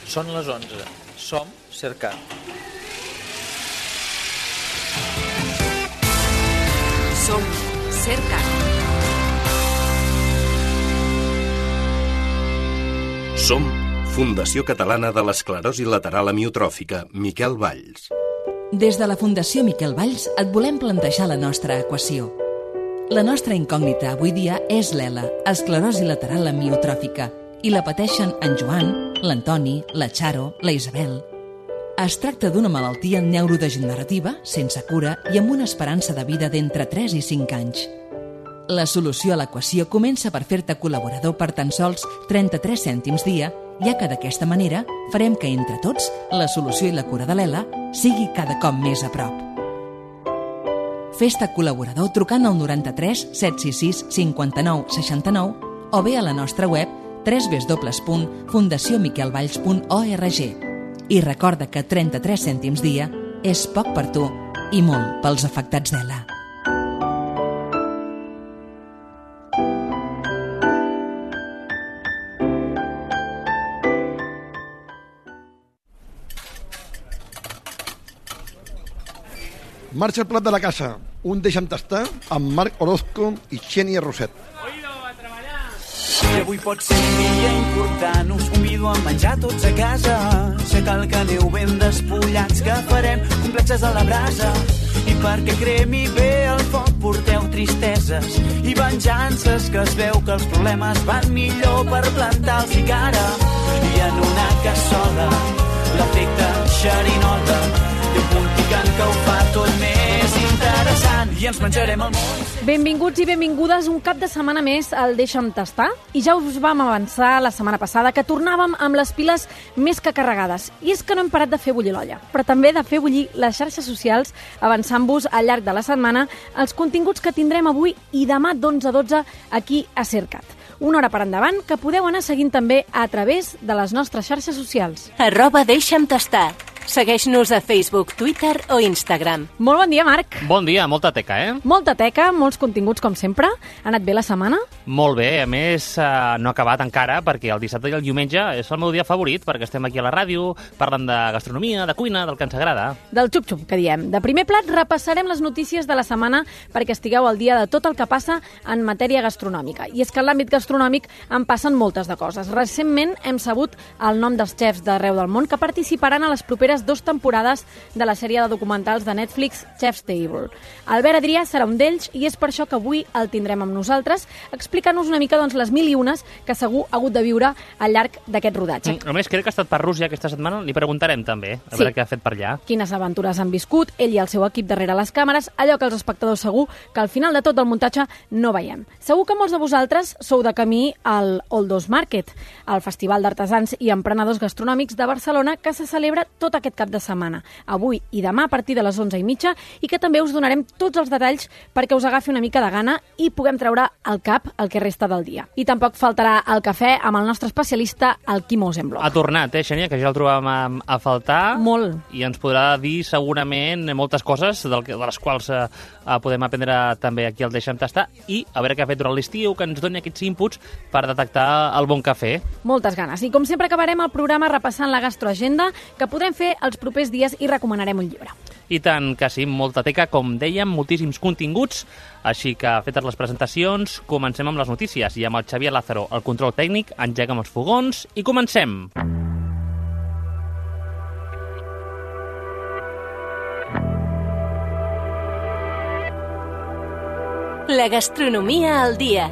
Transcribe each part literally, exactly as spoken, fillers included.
Són les onze. Som Cercat. Som Cercat. Som Fundació Catalana de l'Esclerosi Lateral Amiotròfica, Miquel Valls. Des de la Fundació Miquel Valls et volem plantejar la nostra equació. La nostra incògnita avui dia és l'E L A, esclerosi lateral amiotròfica, i la pateixen en Joan, l'Antoni, la Charo, la Isabel. Es tracta d'una malaltia neurodegenerativa, sense cura i amb una esperança de vida d'entre tres i cinc anys. La solució a l'equació comença per fer-te col·laborador per tan sols trenta-tres cèntims dia, ja que d'aquesta manera farem que entre tots la solució i la cura de l'E L A sigui cada cop més a prop. Fes-te col·laborador trucant al noranta-tres set sis sis cinquanta-nou seixanta-nou o bé a la nostra web w w w punt fundació miquel valls punt org. I recorda que trenta-tres cèntims dia és poc per tu i molt pels afectats d'E L A. Marxa el plat de la casa, un deixa'm tastar amb Marc Orozco i Xènia Roset. Oído, a treballar! Si avui pot ser un dia important, us convido a menjar tots a casa. Sé cal que aneu ben despullats, que farem complexes a la brasa. I perquè cremi bé el foc porteu tristeses i venjances, que es veu que els problemes van millor per plantar-los i cara. I en una cassola, l'efecte xerinola, i un punt picant que ho fa tot més interessant, i ens menjarem el món. Benvinguts i benvingudes un cap de setmana més al Deixa'm Tastar. I ja us vam avançar la setmana passada que tornàvem amb les piles més que carregades. I és que no hem parat de fer bullir l'olla, però també de fer bullir les xarxes socials, avançant-vos al llarg de la setmana els continguts que tindrem avui i demà d'onze a dotze aquí a Cercat. Una hora per endavant que podeu anar seguint també a través de les nostres xarxes socials. Arroba Deixa'm Tastar. Segueix-nos a Facebook, Twitter o Instagram. Molt bon dia, Marc. Bon dia, molta teca, eh? Molta teca, molts continguts, com sempre. Ha anat bé la setmana? Molt bé, a més, eh, no ha acabat encara, perquè el dissabte i el diumenge és el meu dia favorit, perquè estem aquí a la ràdio, parlant de gastronomia, de cuina, del que ens agrada. Del xup-xup, que diem. De primer plat, repassarem les notícies de la setmana perquè estigueu al dia de tot el que passa en matèria gastronòmica. I és que en l'àmbit gastronòmic en passen moltes de coses. Recentment hem sabut el nom dels xefs d'arreu del món que participaran a les properes dues temporades de la sèrie de documentals de Netflix Chef's Table. Albert Adrià serà un d'ells i és per això que avui el tindrem amb nosaltres, explicant-nos una mica doncs, les mil i unes que segur ha hagut de viure al llarg d'aquest rodatge. A més, crec que ha estat per Rússia aquesta setmana, li preguntarem també, a sí. veure què ha fet per allà. Quines aventures han viscut, ell i el seu equip darrere les càmeres, allò que els espectadors segur que al final de tot el muntatge no veiem. Segur que molts de vosaltres sou de camí al Oldos Market, el festival d'artesans i emprenedors gastronòmics de Barcelona que se celebra tot aquest cap de setmana, avui i demà a partir de les onze i mitja, i que també us donarem tots els detalls perquè us agafi una mica de gana i puguem treure al cap el que resta del dia. I tampoc faltarà el cafè amb el nostre especialista, el Quim Osenbloch. Ha tornat, eh, Xènia, que ja el trobàvem a, a faltar. Molt. I ens podrà dir segurament moltes coses del que, de les quals eh, podem aprendre també aquí al Deixa'm Tastar, i a veure què ha fet durant l'estiu, que ens doni aquests inputs per detectar el bon cafè. Moltes ganes. I com sempre acabarem el programa repassant la gastroagenda, que podrem fer els propers dies i recomanarem un llibre. I tant que sí, molta teca, com dèiem, moltíssims continguts, així que fetes les presentacions, comencem amb les notícies i amb el Xavier Lázaro, el control tècnic, engeguem els fogons i comencem! La gastronomia al dia.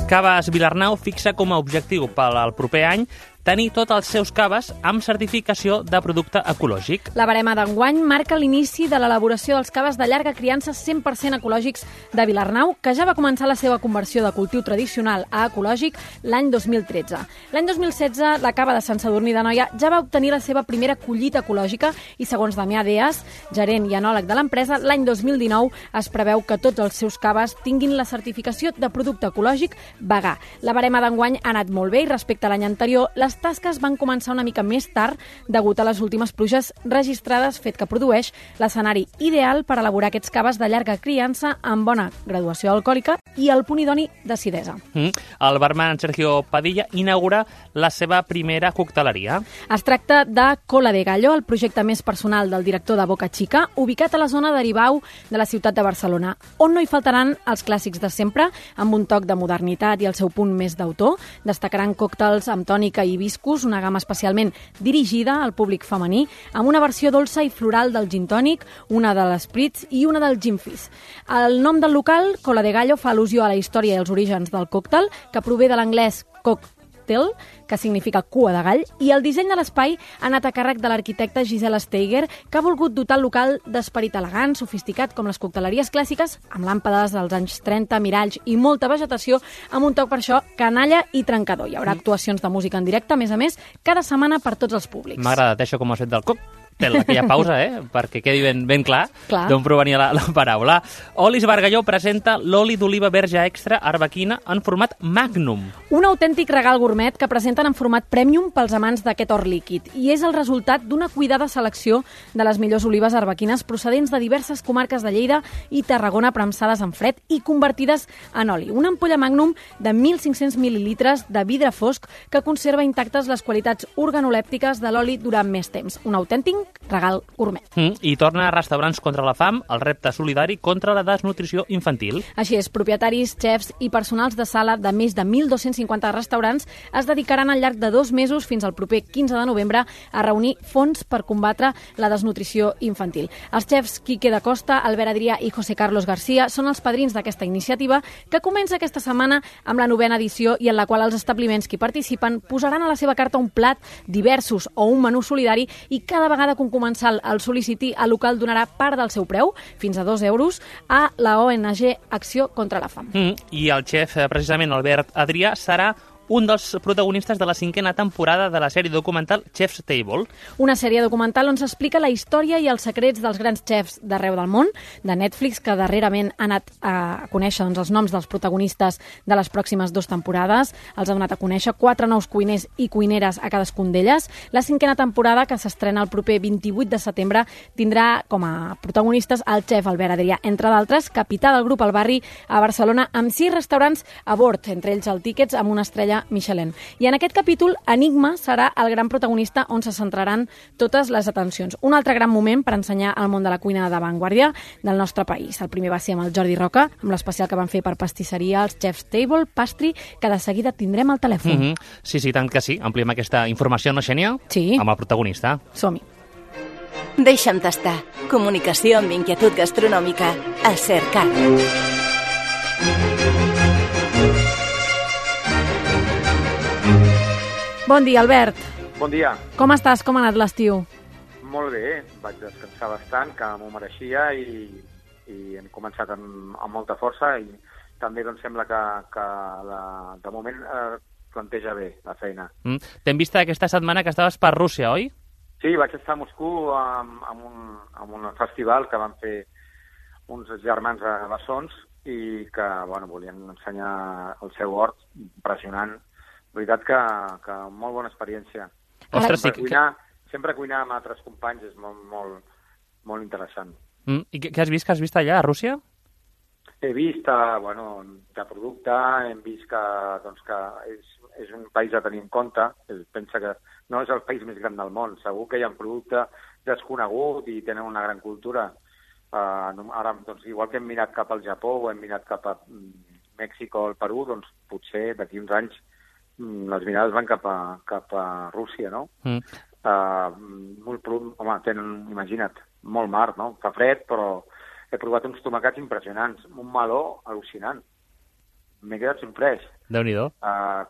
Caves Vilarnau fixa com a objectiu per al proper any tenir tots els seus caves amb certificació de producte ecològic. La barema d'enguany marca l'inici de l'elaboració dels caves de llarga criança cent per cent ecològics de Vilarnau, que ja va començar la seva conversió de cultiu tradicional a ecològic l'any dos mil tretze. L'any dos mil setze, la cava de Sant Sadurní d'Anoia ja va obtenir la seva primera collita ecològica i, segons Damià Deas, gerent i enòleg de l'empresa, l'any dos mil dinou es preveu que tots els seus caves tinguin la certificació de producte ecològic vegà. La barema d'enguany ha anat molt bé i respecte a l'any anterior, les les tasques van començar una mica més tard degut a les últimes pluges registrades, fet que produeix l'escenari ideal per elaborar aquests caves de llarga criança amb bona graduació alcohòlica i el punt idoni d'acidesa. Mm. El barman Sergio Padilla inaugura la seva primera cocteleria. Es tracta de Cola de Gallo, el projecte més personal del director de Boca Chica, ubicat a la zona d'Aribau de la ciutat de Barcelona, on no hi faltaran els clàssics de sempre, amb un toc de modernitat i el seu punt més d'autor. Destacaran còctels amb tònica i hibiscus, una gamma especialment dirigida al públic femení, amb una versió dolça i floral del gin tònic, una de l'espritz i una del gin fizz. El nom del local, Cola de Gallo, fa al·lusió a la història i els orígens del còctel, que prové de l'anglès cocktail, que significa cua de gall, i el disseny de l'espai ha anat a càrrec de l'arquitecte Gisela Steiger, que ha volgut dotar el local d'esperit elegant, sofisticat, com les cocteleries clàssiques, amb làmpades dels anys trenta, miralls i molta vegetació, amb un toc per això canalla i trencador. Hi haurà actuacions de música en directe, a més a més, cada setmana per tots els públics. M'ha agradat això com has fet del coc. Aquella pausa, eh? Perquè quedi ben, ben clar, clar. d'on provenia la, la paraula. Olis Bargalló presenta l'oli d'oliva verge extra arbequina en format Magnum. Un autèntic regal gourmet que presenten en format Premium pels amants d'aquest or líquid, i és el resultat d'una cuidada selecció de les millors olives arbequines procedents de diverses comarques de Lleida i Tarragona, premsades en fred i convertides en oli. Una ampolla Magnum de mil cinc-cents mil·lilitres de vidre fosc que conserva intactes les qualitats organolèptiques de l'oli durant més temps. Un autèntic regal gourmet. Mm, I torna a Restaurants contra la fam, el repte solidari contra la desnutrició infantil. Així és, propietaris, xefs i personals de sala de més de mil dos-cents cinquanta restaurants es dedicaran al llarg de dos mesos fins al proper quinze de novembre a reunir fons per combatre la desnutrició infantil. Els xefs Quique da Costa, Albert Adrià i José Carlos García són els padrins d'aquesta iniciativa que comença aquesta setmana amb la novena edició i en la qual els establiments que hi participen posaran a la seva carta un plat, diversos o un menú solidari, i cada vegada que un comensal el sol·liciti, el local donarà part del seu preu, fins a dos euros, a la O N G Acció contra la Fam. Mm, I el xef, precisament, Albert Adrià, serà un dels protagonistes de la cinquena temporada de la sèrie documental Chef's Table. Una sèrie documental on s'explica la història i els secrets dels grans xefs d'arreu del món, de Netflix, que darrerament ha anat a conèixer doncs, els noms dels protagonistes de les pròximes dues temporades. Els ha donat a conèixer quatre nous cuiners i cuineres a cadascun d'elles. La cinquena temporada, que s'estrena el proper vint-i-vuit de setembre, tindrà com a protagonistes el xef Albert Adrià, entre d'altres, capità del grup al barri a Barcelona, amb sis restaurants a bord, entre ells el Tickets, amb una estrella Michelin. I en aquest capítol, Enigma serà el gran protagonista on se centraran totes les atencions. Un altre gran moment per ensenyar el món de la cuina d'avantguàrdia del nostre país. El primer va ser amb el Jordi Roca, amb l'especial que van fer per pastisseria, els Chef's Table, Pastry, que de seguida tindrem al telèfon. Mm -hmm. Sí, sí, tant que sí. Ampliem aquesta informació, no, Xènia? Sí. Amb el protagonista. Som-hi. Deixa'm tastar. Comunicació amb inquietud gastronòmica a Cercat. Bon dia, Albert. Bon dia. Com estàs? Com ha anat l'estiu? Molt bé, vaig descansar bastant, que m'ho mereixia, i, i hem començat amb, amb molta força, i també doncs, sembla que, que la, de moment eh, planteja bé la feina. Mm. T'hem vist aquesta setmana que estaves per Rússia, oi? Sí, vaig estar a Moscou amb, amb, un, amb un festival que van fer uns germans a bessons i que bueno, volien ensenyar el seu hort, impressionant. La veritat que, que molt bona experiència. Ostres, sempre, sí, cuinar, que... sempre cuinar amb altres companys és molt, molt, molt interessant. Mm. I què has vist? Què has vist allà, a Rússia? He vist, uh, bueno, de producte, hem vist que, doncs, que és, és un país a tenir en compte. Pensa que no és el país més gran del món. Segur que hi ha un producte desconegut i tenen una gran cultura. Uh, ara, doncs, igual que hem mirat cap al Japó o hem mirat cap a Mèxic o el Perú, doncs potser d'aquí uns anys les mirades van cap a, cap a Rússia, no? Mm. Uh, molt, home, tenen, imagina't, molt mar, no? Fa fred, però he provat uns tomacats impressionants, un meló al·lucinant. M'he quedat sorprès. Déu-n'hi-do. Uh,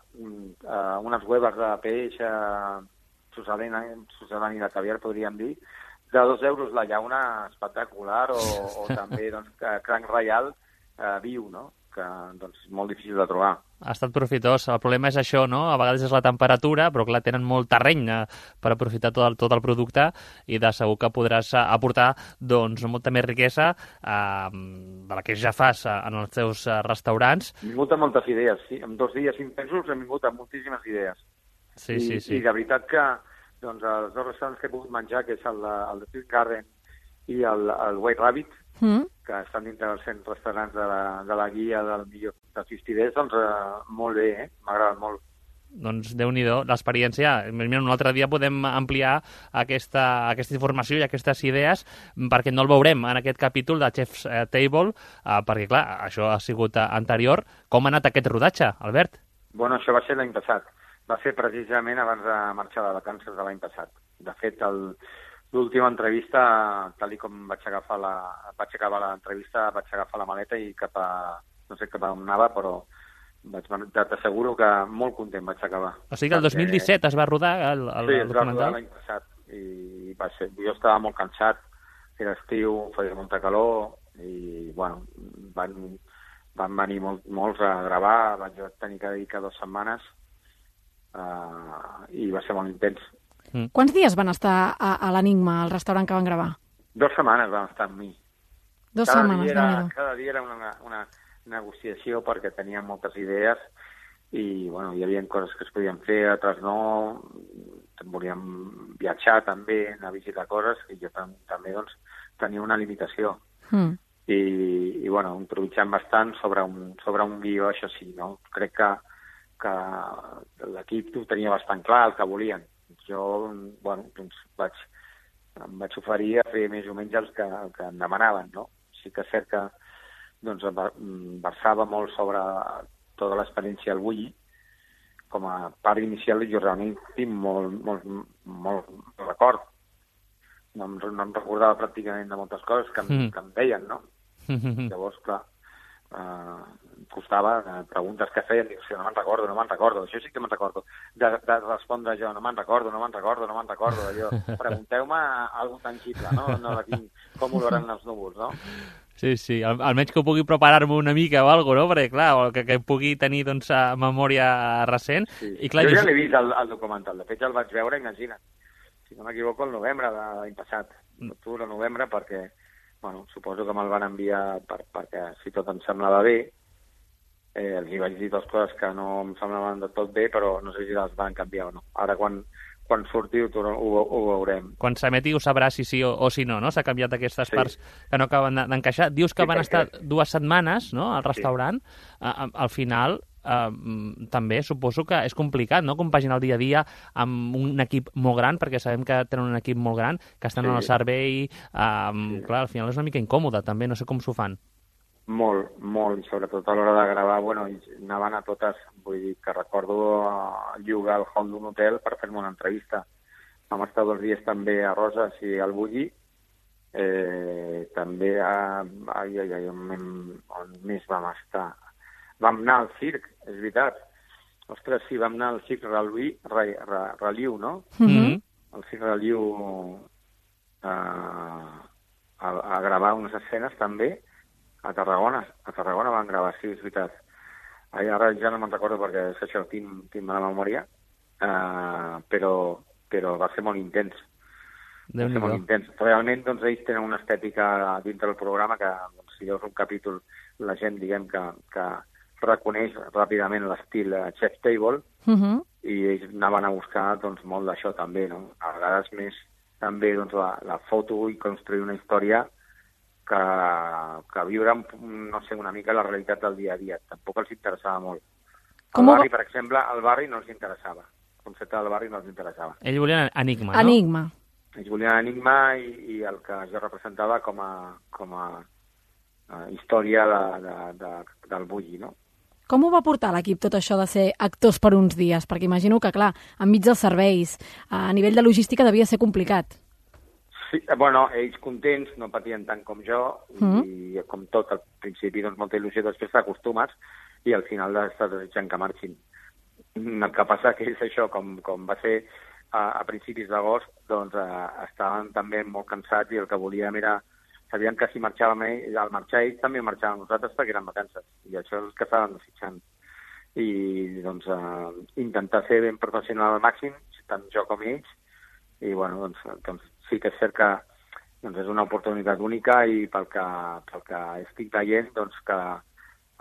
uh, unes hueves de peix, uh, sucedani de caviar, podríem dir, de dos euros la llauna, espectacular, o, o també doncs, cranc reial uh, viu, no? Que doncs, és molt difícil de trobar. Ha estat profitós. El problema és això, no? A vegades és la temperatura, però clar, tenen molt terreny eh, per aprofitar tot el, tot el producte i de segur que podràs eh, aportar doncs, molta més riquesa eh, de la que ja fas eh, en els teus eh, restaurants. Hem vingut amb moltes idees, sí. En dos dies intensos hem vingut amb moltíssimes idees. Sí, I, sí, sí. I de veritat que doncs, els dos restaurants que he pogut menjar, que és el de, el de Twin Garden i el, el White Rabbit, Mm. que estan dintre dels cent restaurants de la, de la guia del millor de Fistiders, doncs eh, molt bé, eh? M'ha agradat molt. Doncs Déu-n'hi-do, l'experiència. Mira, un altre dia podem ampliar aquesta, aquesta informació i aquestes idees, perquè no el veurem en aquest capítol de Chef's Table, eh, perquè, clar, això ha sigut anterior. Com ha anat aquest rodatge, Albert? Bueno, això va ser l'any passat. Va ser precisament abans de marxar de vacances de l'any passat. De fet, el, l'última entrevista, tal com vaig agafar la, vaig acabar l'entrevista, vaig agafar la maleta i cap a, no sé cap a on anava, però vaig, t'asseguro que molt content vaig acabar. O sigui que el dos mil disset es va rodar el, el, sí, el es va documental? rodar l'any passat i va ser, jo estava molt cansat, era estiu, feia molta calor i, bueno, van, van venir molt, molts a gravar, vaig tenir que dedicar dues setmanes uh, i va ser molt intens. Mm. Quants dies van estar a, a l'Enigma, al restaurant que van gravar? Dues setmanes van estar amb mi. Dos cada setmanes, dia era, déu-n'hi-do. cada dia era una, una negociació perquè teníem moltes idees i bueno, hi havia coses que es podien fer, altres no, volíem viatjar també, anar a visitar coses i jo tam també doncs, tenia una limitació. Mm. I, i bueno, improvisant bastant sobre un, sobre un guió, això sí, no? Crec que, que l'equip ho tenia bastant clar, el que volien. Jo, bueno, doncs vaig, em vaig oferir a fer més o menys el que, el que em demanaven, no? Sí que és cert que doncs, versava molt sobre tota l'experiència al Bulli. Com a part inicial jo realment tinc molt, molt, molt record. No em, no em recordava pràcticament de moltes coses que em, mm. que em deien, no? Llavors, clar, eh, costava eh, preguntes que feien, dic, sí, no me'n recordo, no me'n recordo, això sí que me'n recordo. De, de respondre jo, no me'n recordo, no me'n recordo, no me'n recordo, allò. Pregunteu-me alguna tangible, no? No de quin, com oloren els núvols, no? Sí, sí, Al, almenys que ho pugui preparar-me una mica o alguna cosa, no? Perquè, clar, que, que pugui tenir doncs, memòria recent. Sí. I, clar, jo ja jo... l'he vist, el, el documental. De fet, ja el vaig veure, imagina't. Si no m'equivoco, el novembre de l'any passat. Octubre, novembre, perquè, bueno, suposo que me'l van enviar per, perquè si tot em semblava bé, eh, els hi vaig dir dues coses que no em semblaven de tot bé, però no sé si les van canviar o no. Ara, quan... quan sortiu ho, ho, ho veurem. Quan s'emeti ho sabrà si sí o, o si no, no? S'ha canviat aquestes sí. parts que no acaben d'encaixar. Dius que sí, van perquè... estar dues setmanes, no?, al restaurant. Sí. Uh, al final, uh, també suposo que és complicat, no?, compaginar el dia a dia amb un equip molt gran, perquè sabem que tenen un equip molt gran, que estan sí. en el servei. Uh, sí. Clar, al final és una mica incòmode, també. No sé com s'ho fan. Molt, molt, i sobretot a l'hora de gravar, bueno, anaven a totes, vull dir que recordo llogar el hall d'un hotel per fer-me una entrevista. Vam estar dos dies també a Roses i al Bulli, eh, també a... Ai, ai, ai, on, on més vam estar? Vam anar al circ, és veritat. Ostres, sí, vam anar al circ Reliu, Reliu no? Mm-hmm. El circ Reliu a, a, a gravar unes escenes també. A Tarragona, a Tarragona van gravar, sí, és veritat. Ara ja no me'n recordo perquè és això, tinc, tinc mala memòria, uh, però, però va ser molt intens. Va ser molt intens. Realment, doncs, ells tenen una estètica dintre del programa que, doncs, si veus un capítol, la gent, diguem, que, que reconeix ràpidament l'estil Chef's Table, uh-huh. i ells anaven a buscar, doncs, molt d'això també, no? A vegades més, també, doncs, la, la foto i construir una història que, que viure, no sé, una mica la realitat del dia a dia. Tampoc els interessava molt. El barri, per exemple, el barri no els interessava. El concepte del barri no els interessava. Ells volien enigma, no? Enigma. Ells volien enigma i, i el que jo representava com a, com a, a història de, de, de, del Bulli, no? Com ho va portar l'equip tot això de ser actors per uns dies? Perquè imagino que, clar, enmig dels serveis, a nivell de logística devia ser complicat. Sí, bueno, ells contents, no patien tant com jo, mm. i com tot, al principi, doncs, molta il·lusió, després t'acostumes, i al final estàs desitjant que marxin. El que passa que és això, com, com va ser a, a principis d'agost, doncs eh, estaven també molt cansats i el que volíem era... Sabien que si marxàvem ells, al marxar ells també marxàvem nosaltres perquè eren vacances, i això és el que estàvem desitjant. I, doncs, eh, intentar ser ben professional al màxim, tant jo com ells, i, bueno, doncs, doncs sí que és cert que doncs, és una oportunitat única i pel que, pel que estic veient, doncs, que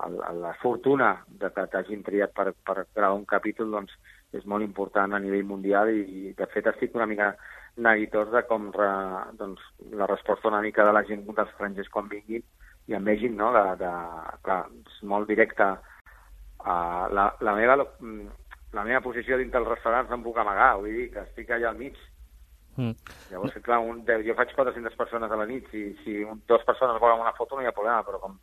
el, la fortuna de que t'hagin triat per, per gravar un capítol, doncs, és molt important a nivell mundial i, de fet, estic una mica neguitós de com re, doncs, la resposta una mica de la gent dels estrangers quan vinguin i em vegin, no?, de, de, clar, és molt directe. Uh, la, la, meva, la meva posició dintre dels restaurants no em puc amagar, vull dir que estic allà al mig. Mm. Llavors, clar, un, jo faig quatre-centes persones a la nit, si, si un, dues persones volen una foto no hi ha problema, però com,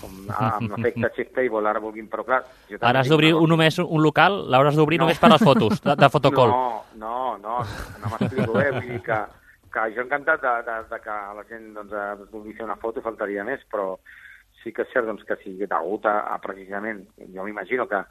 com amb l'efecte chef table ara vulguin, però clar... Ara has d'obrir un, només un local, l'hauràs d'obrir no. només per les fotos, de, de fotocall. No, no, no, no m'explico bé, vull dir que, que jo encantat de, de, de que la gent doncs, vulgui fer una foto, faltaria més, però sí que és cert doncs, que si degut a, a precisament, jo m'imagino que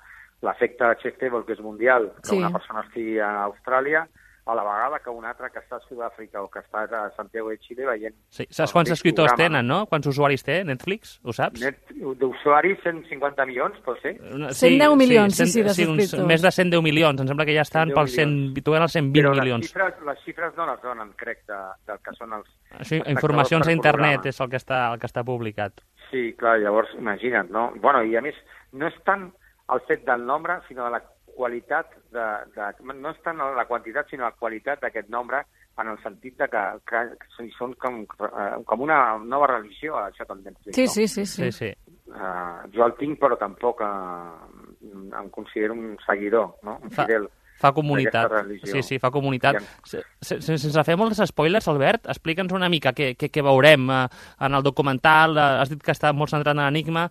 l'efecte chef table, que és mundial, que sí. Una persona estigui a Austràlia, a la vegada que un altre que està a Sud-àfrica o que està a Santiago de Chile veient... Sí. Saps quants escriptors tenen, no? Quants usuaris té Netflix? Ho saps? Net, d'usuaris, cent cinquanta milions, pot ser? Sí, cent deu milions, sí, sí, sí, sí de sí, més de cent deu milions. Em sembla que ja estan pels cent, els cent vint Però milions. Però les, les xifres no les donen, crec, de, del que són els... Això, informacions a internet és el que, està, el que està publicat. Sí, clar, llavors, imagina't, no? Bueno, i a més, no és tant el fet del nombre, sinó de la qualitat, de, de, no és tant la quantitat, sinó la qualitat d'aquest nombre, en el sentit de que, que, que són com, com una nova religió, això també. Sí, sí, sí. sí. sí, sí. Uh, jo el tinc, però tampoc uh, em considero un seguidor, no? Un fidel. Fa comunitat. Sí, sí, fa comunitat. Sense, sense fer molts spoilers, Albert, explica'ns una mica què, què, què veurem en el documental. Has dit que està molt centrat en l'enigma,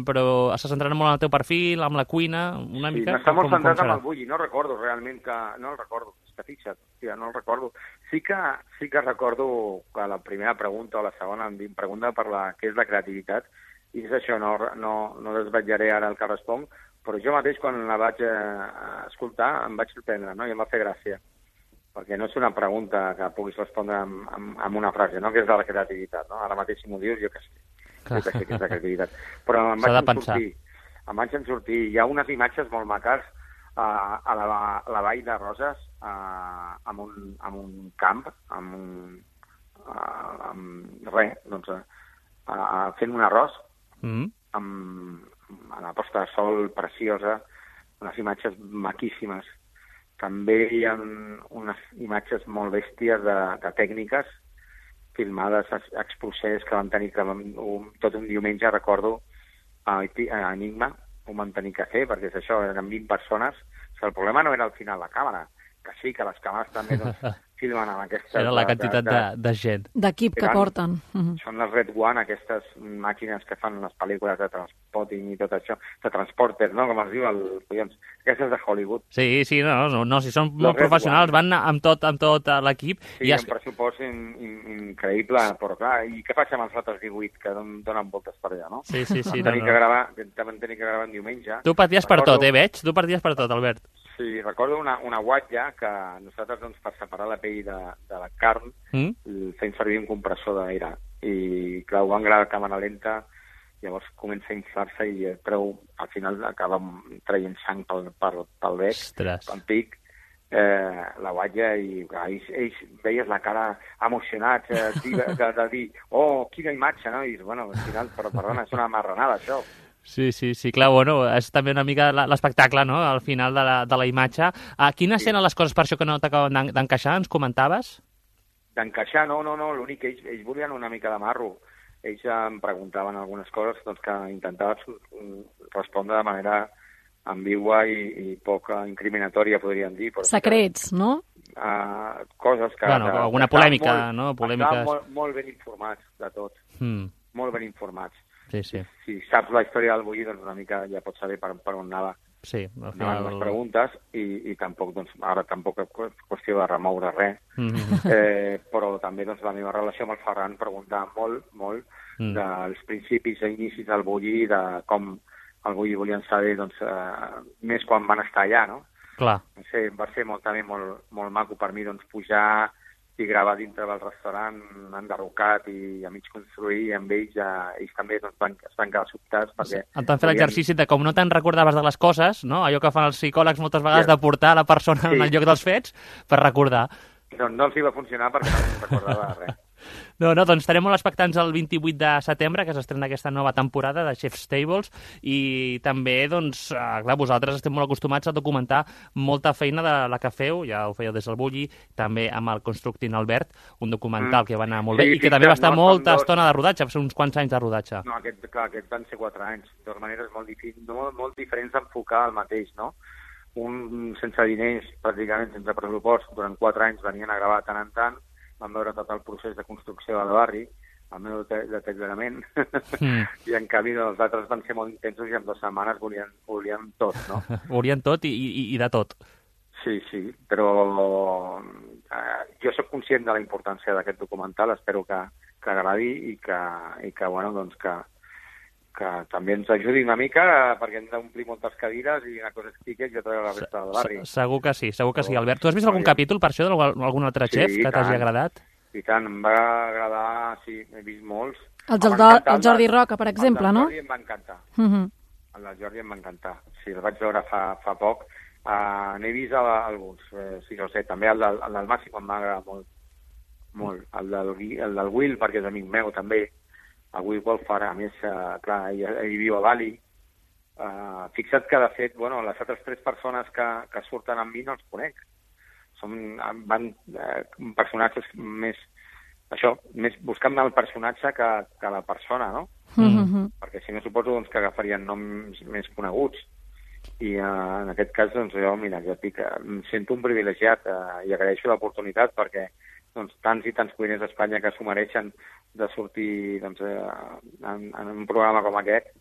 però està centrat molt en el teu perfil, amb la cuina, una sí, mica... Sí, està molt com, centrat com en el bulli, no recordo realment que... No el recordo, és que fixa't, ja no el recordo. Sí que, sí que recordo que la primera pregunta o la segona em pregunta per la, què és la creativitat, i és això, no, no, no desvetllaré ara el que responc, però jo mateix, quan la vaig eh, escoltar, em vaig sorprendre, no? I em va fer gràcia. Perquè no és una pregunta que puguis respondre amb, amb, amb una frase, no? Que és de la creativitat, no? Ara mateix, si m'ho dius, jo que sé. Jo que sé que és la creativitat. Però em vaig en sortir. Em vaig en sortir. Hi ha unes imatges molt maques uh, a, la, a la vall de Roses, uh, amb, un, amb un camp, amb un... Uh, amb res, doncs, uh, fent un arròs, mm. amb... a la posta de sol preciosa, unes imatges maquíssimes. També hi ha unes imatges molt bèsties de, de tècniques filmades a Exposés que van tenir que, un, tot un diumenge, recordo, a, a Enigma, ho van tenir que fer, perquè és això, eren vint persones. O sigui, el problema no era al final la càmera, que sí, que les càmeres també doncs, filmen amb aquestes... Era la quantitat de, de, de, de gent. D'equip que porten. Uh-huh. Són les Red One, aquestes màquines que fan les pel·lícules de transporting i tot això, de transporter, no?, com es diu, el, collons, aquestes de Hollywood. Sí, sí, no, no, no si són les molt Red professionals, One. Van amb tot, amb tot l'equip. Sí, i un pressupost in, in, increïble, però clar, i què faig amb els altres divuit que donen voltes per allà, no? Sí, sí, sí. Vam tenir, no, no. Que gravar, vam tenir que gravar en diumenge. Tu paties per tot, eh, veig? Tu paties per tot, Albert. Sí, recordo una, una guatlla que nosaltres, doncs, per separar la pell de, de la carn, mm? fem servir un compressor d'aire. I, clar, ho van gravar a càmera lenta, llavors comença a inflar-se i prou, al final acaba traient sang pel, pel, pel bec, Ostres. pel pic, eh, la guatlla, i clar, ells, ells veies la cara emocionats eh, de, de, de dir, oh, quina imatge, no? I dius, bueno, al final, però perdona, és una marranada, això. Sí, sí, sí, clar, bueno, és també una mica l'espectacle, no?, al final de la, de la imatge. A quines sí. eren les coses per això que no t'acaben d'encaixar, ens comentaves? D'encaixar, no, no, no, l'únic que ells, ells volien una mica de marro. Ells em preguntaven algunes coses doncs, que intentava respondre de manera ambigua i, i poc incriminatòria, podríem dir. Però secrets, que, no? Uh, coses que... Bueno, que alguna polèmica, molt, no? Polèmiques... Estaven molt, molt ben informats de tot. Mm. Molt ben informats. Sí, sí. Si saps la història del bulli, doncs una mica ja pots saber per, per on anava. Sí, al final... les preguntes i, i tampoc, doncs, ara tampoc és qüestió de remoure res, mm-hmm. eh, però també doncs, la meva relació amb el Ferran preguntava molt, molt mm. dels principis i inicis del bulli, de com el bulli volien saber doncs, eh, més quan van estar allà, no? Clar. No sé, va ser molt, també molt, molt maco per mi doncs, pujar i gravar dintre del restaurant enderrocat i a mig construir, i amb ells, ja, ells també doncs, van, es van quedar sobtats. Perquè et van fer l'exercici de com no te'n recordaves de les coses, no? Allò que fan els psicòlegs moltes vegades, sí. de portar la persona sí. en el lloc dels fets per recordar. No, no els hi va funcionar perquè no se'n recordava res. No, no, doncs estarem molt expectants el vint-i-vuit de setembre, que s'estrena aquesta nova temporada de Chef's Tables, i també, doncs, eh, clar, vosaltres estem molt acostumats a documentar molta feina de la que feu, ja ho fèieu des del Bulli, també amb el Constructing Albert, un documental mm. que va anar molt bé, sí, i que sí, també va estar no, molta dos... estona de rodatge, va ser uns quants anys de rodatge. No, aquest, clar, aquests van ser quatre anys, de totes maneres molt, molt, molt diferents d'enfocar el mateix, no? Un sense diners, pràcticament sense pressupost, durant quatre anys venien a gravar tant en tant, vam veure tot el procés de construcció del barri, el meu deteriorament, mm. i en canvi els altres van ser molt intensos i en dues setmanes volien, volien tot, no? Volien tot i, i, i de tot. Sí, sí, però eh, jo sóc conscient de la importància d'aquest documental, espero que, que agradi i que, i que, bueno, doncs que, que també ens ajudi una mica, perquè hem d'omplir moltes cadires i una cosa és tiquet i altra la resta del barri. Segur que sí, segur que sí, Albert. Tu has vist algun capítol per això d'algun altre sí, xef que t'hagi agradat? I tant, em va agradar, sí, he vist molts. El, el, el Jordi Roca, per exemple, no? El Jordi em va encantar. Uh -huh. El del Jordi em va encantar. Sí, el vaig veure fa, fa poc. Uh, N'he vist a, alguns, eh, sí, no sé, també el del, el del Màxim em va agradar molt. Molt. El del, el del Will, perquè és amic meu, també. El Will Wolfar, a més, uh, clar, ell, ell viu a Bali. Uh, fixa't que, de fet, bueno, les altres tres persones que, que surten amb mi no els conec. Són van, eh, personatges més, això, més buscant el personatge que, que la persona, no? Mm-hmm. Perquè si no suposo doncs, que agafarien noms més coneguts. I uh, en aquest cas, doncs, jo, mira, jo dic, em sento un privilegiat uh, i agraeixo l'oportunitat perquè doncs, tants i tants cuiners d'Espanya que s'ho mereixen de sortir doncs, uh, en, en un programa com aquest,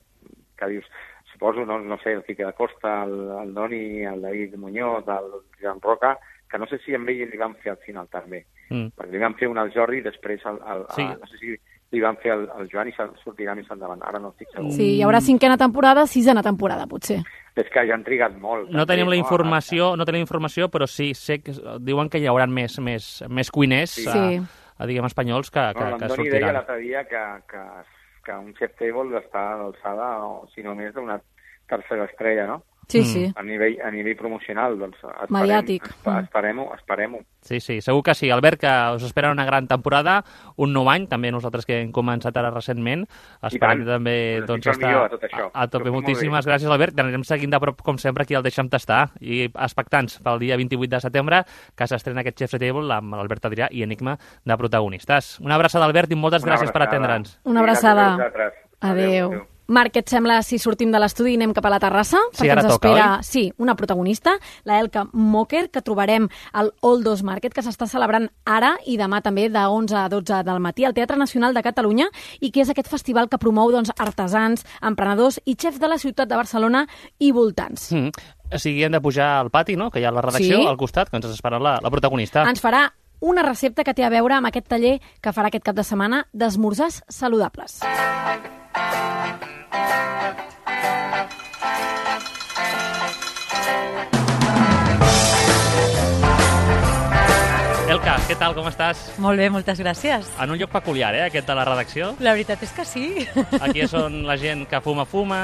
que dius, suposo, no, no sé, el Quique da Costa, el, el Doni, el David Muñoz, el Joan Roca, que no sé si amb ell li van fer al final també, mm. perquè li van fer un al Jordi i després el, el, sí. el, no sé si li van fer el, el Joan i sortirà més endavant, ara no estic segur. Sí, hi haurà cinquena temporada, sisena temporada, potser. És que ja han trigat molt. No tenim la informació, no tenim informació, però sí, sé que diuen que hi haurà més, més, més cuiners, sí. a, a, diguem, espanyols que, que, no, que sortiran. L'Antoni deia l'altre dia que, que, que un chef table està a l'alçada, o si no més, d'una tercera estrella, no? Sí, sí. A nivell, a nivell promocional, doncs esperem, mediàtic. Esperem-ho, esperem-ho. Sí, sí, segur que sí. Albert, que us espera una gran temporada, un nou any, també nosaltres que hem començat ara recentment. Esperem també doncs, estar a, tot això. a, a tope. Moltíssimes gràcies, Albert. Anirem seguint de prop, com sempre, aquí al Deixa'm Tastar. I expectants pel dia vint-i-vuit de setembre, que s'estrena aquest Chef's Table amb l'Albert Adrià i Enigma de protagonistes. Una abraçada, Albert, i moltes una gràcies abraçada. per atendre'ns. Una abraçada. Adéu. Adéu. Adéu. Marc, què et sembla si sortim de l'estudi i anem cap a la terrassa? Sí, perquè ara ens toca, espera, oi? sí, una protagonista, la Elka Moker, que trobarem al Old Dos Market, que s'està celebrant ara i demà també de onze a dotze del matí al Teatre Nacional de Catalunya, i que és aquest festival que promou doncs, artesans, emprenedors i xefs de la ciutat de Barcelona i voltants. Mm. O sigui, hem de pujar al pati, no?, que hi ha la redacció sí. al costat, que ens espera la, la protagonista. Ens farà una recepta que té a veure amb aquest taller que farà aquest cap de setmana d'esmorzars saludables. Elka, què tal, com estàs? Molt bé, moltes gràcies. En un lloc peculiar, eh, aquest de la redacció. La veritat és que sí. Aquí és on la gent que fuma, fuma.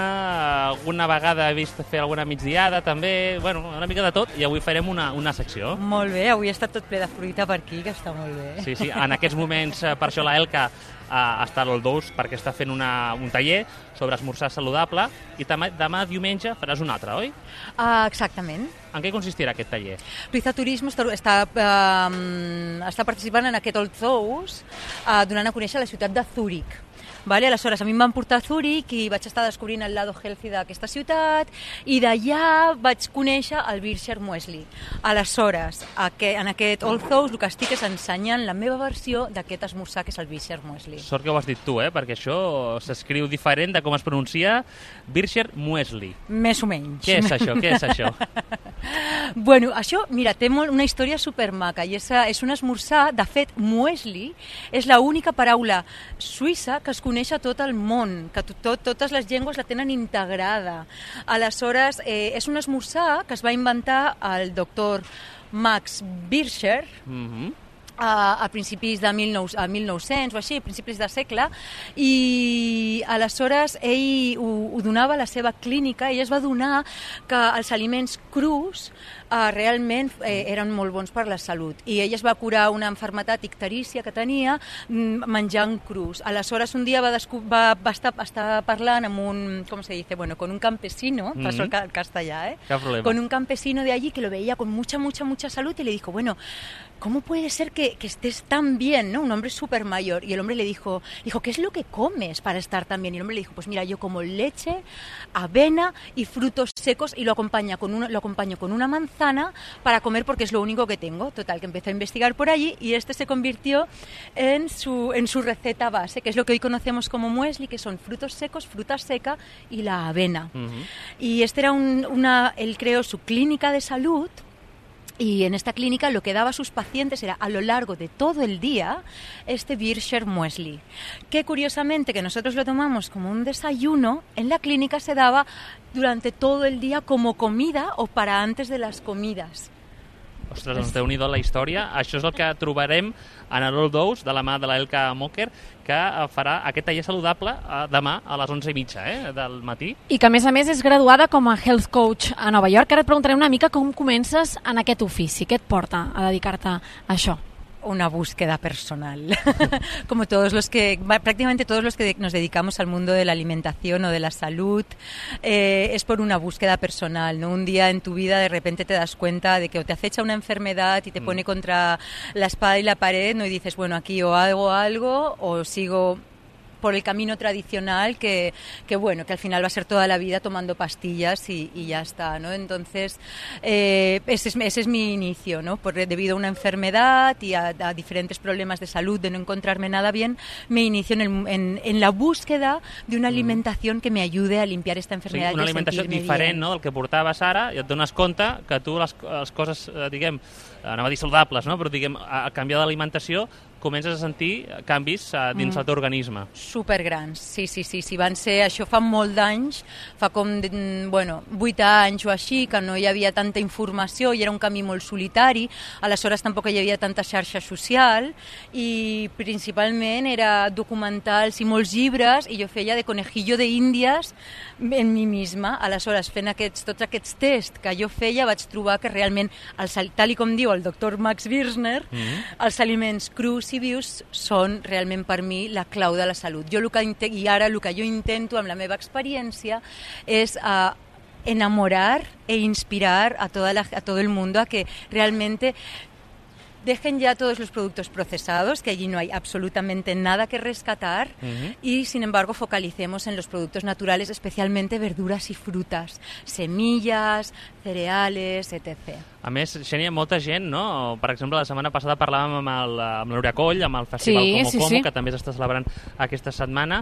Alguna vegada he vist fer alguna migdiada, també. Bueno, una mica de tot. I avui farem una, una secció. Molt bé, avui ha estat tot ple de fruita per aquí, que està molt bé. Sí, sí, en aquests moments, per això la Elka Uh, està a l'Old Dos perquè està fent una, un taller sobre esmorzar saludable i demà, demà diumenge faràs un altre, oi? Uh, exactament. En què consistirà aquest taller? Luiza Turismo està, està, uh, està participant en aquest Old Dos uh, donant a conèixer la ciutat de Zúrich. Vale? Aleshores, a mi em van portar a Zúrich i vaig estar descobrint el lado healthy d'aquesta ciutat i d'allà vaig conèixer el Bircher Muesli. Aleshores, en aquest Old Dos el que estic és ensenyant la meva versió d'aquest esmorzar que és el Bircher Muesli. Sort que ho has dit tu, eh? Perquè això s'escriu diferent de com es pronuncia Bircher Muesli. Més o menys. Què és això? Què és això? Bueno, això, mira, té molt, una història supermaca i és, és un esmorzar, de fet, muesli és l'única paraula suïssa que es coneix a tot el món, que tot, totes les llengües la tenen integrada. Aleshores, eh, és un esmorzar que es va inventar el doctor Max Bircher, mm-hmm. a, a principis de mil nou-cents o així, a principis de segle, i aleshores ell ho, ho donava a la seva clínica, ell es va donar que els aliments crus eh, realment eh, eren molt bons per la salut, i ell es va curar una malaltia icterícia que tenia menjant crus. Aleshores un dia va, va, va estar, estar parlant amb un, com se dice, bueno, con un campesino, mm-hmm. paso el castellà, eh? Con un campesino de allí que lo veía con mucha, mucha, mucha salud y le dijo, bueno, ¿cómo puede ser que, que estés tan bien, ¿no? Un hombre súper mayor. Y el hombre le dijo, dijo, ¿qué es lo que comes para estar tan bien? Y el hombre le dijo, pues mira, yo como leche, avena y frutos secos y lo, acompaña con una, lo acompaño con una manzana para comer porque es lo único que tengo. Total, que empezó a investigar por allí y este se convirtió en su, en su receta base, que es lo que hoy conocemos como muesli, que son frutos secos, fruta seca y la avena. Uh-huh. Y este era un, una, él creó su clínica de salud. Y en esta clínica lo que daba a sus pacientes era a lo largo de todo el día este Bircher Muesli, que curiosamente que nosotros lo tomamos como un desayuno, en la clínica se daba durante todo el día como comida o para antes de las comidas. Ostres, doncs déu-n'hi-do la història. Això és el que trobarem en l'Old Dose, de la mà de l'Elka Mocker, que farà aquest taller saludable demà a les onze i mitja eh, del matí. I que, a més a més, és graduada com a Health Coach a Nova York. Ara et preguntaré una mica com comences en aquest ofici. Què et porta a dedicar-te a això? Una búsqueda personal, como todos los que, prácticamente todos los que nos dedicamos al mundo de la alimentación o de la salud, eh, es por una búsqueda personal, ¿no? Un día en tu vida de repente te das cuenta de que o te acecha una enfermedad y te pone contra la espada y la pared, ¿no? Y dices, bueno, aquí o hago algo o sigo por el camino tradicional que, que bueno, que al final va a ser toda la vida tomando pastillas y, y ya está, ¿no? Entonces, eh, ese, es, ese es mi inicio, ¿no? Por, debido a una enfermedad y a, a diferentes problemas de salud, de no encontrarme nada bien, me inicio en, el, en, en la búsqueda de una alimentación que me ayude a limpiar esta enfermedad. Sí, una alimentació diferent, no?, del que portaves ara, i et dones compte que tu les, les coses, diguem, anava a dir saludables, no?, però diguem, a canviar d'alimentació comences a sentir canvis uh, dins mm. el teu organisme. Supergrans, sí, sí, sí, sí, van ser, això fa molt d'anys, fa com, bueno, vuit anys o així, que no hi havia tanta informació i era un camí molt solitari, aleshores tampoc hi havia tanta xarxa social i principalment era documentals i molts llibres i jo feia de conejillo de índies en mi misma, aleshores fent aquests, tots aquests tests que jo feia vaig trobar que realment, els, tal i com diu el doctor Max Birchner, mm-hmm. els aliments crus i vius són realment per mi la clau de la salut. Jo el que, i ara el que jo intento amb la meva experiència és uh, enamorar e inspirar a, toda la, a todo el mundo a que realmente dejen ya todos los productos procesados, que allí no hay absolutamente nada que rescatar, uh-huh. y sin embargo focalicemos en los productos naturales, especialmente verduras y frutas, semillas, cereales, etcétera. A més, Xènia, molta gent, no? Per exemple, la setmana passada parlàvem amb el, amb l'Eurea Coll, amb el Festival sí, Como sí, Como, sí. que també s'està celebrant aquesta setmana,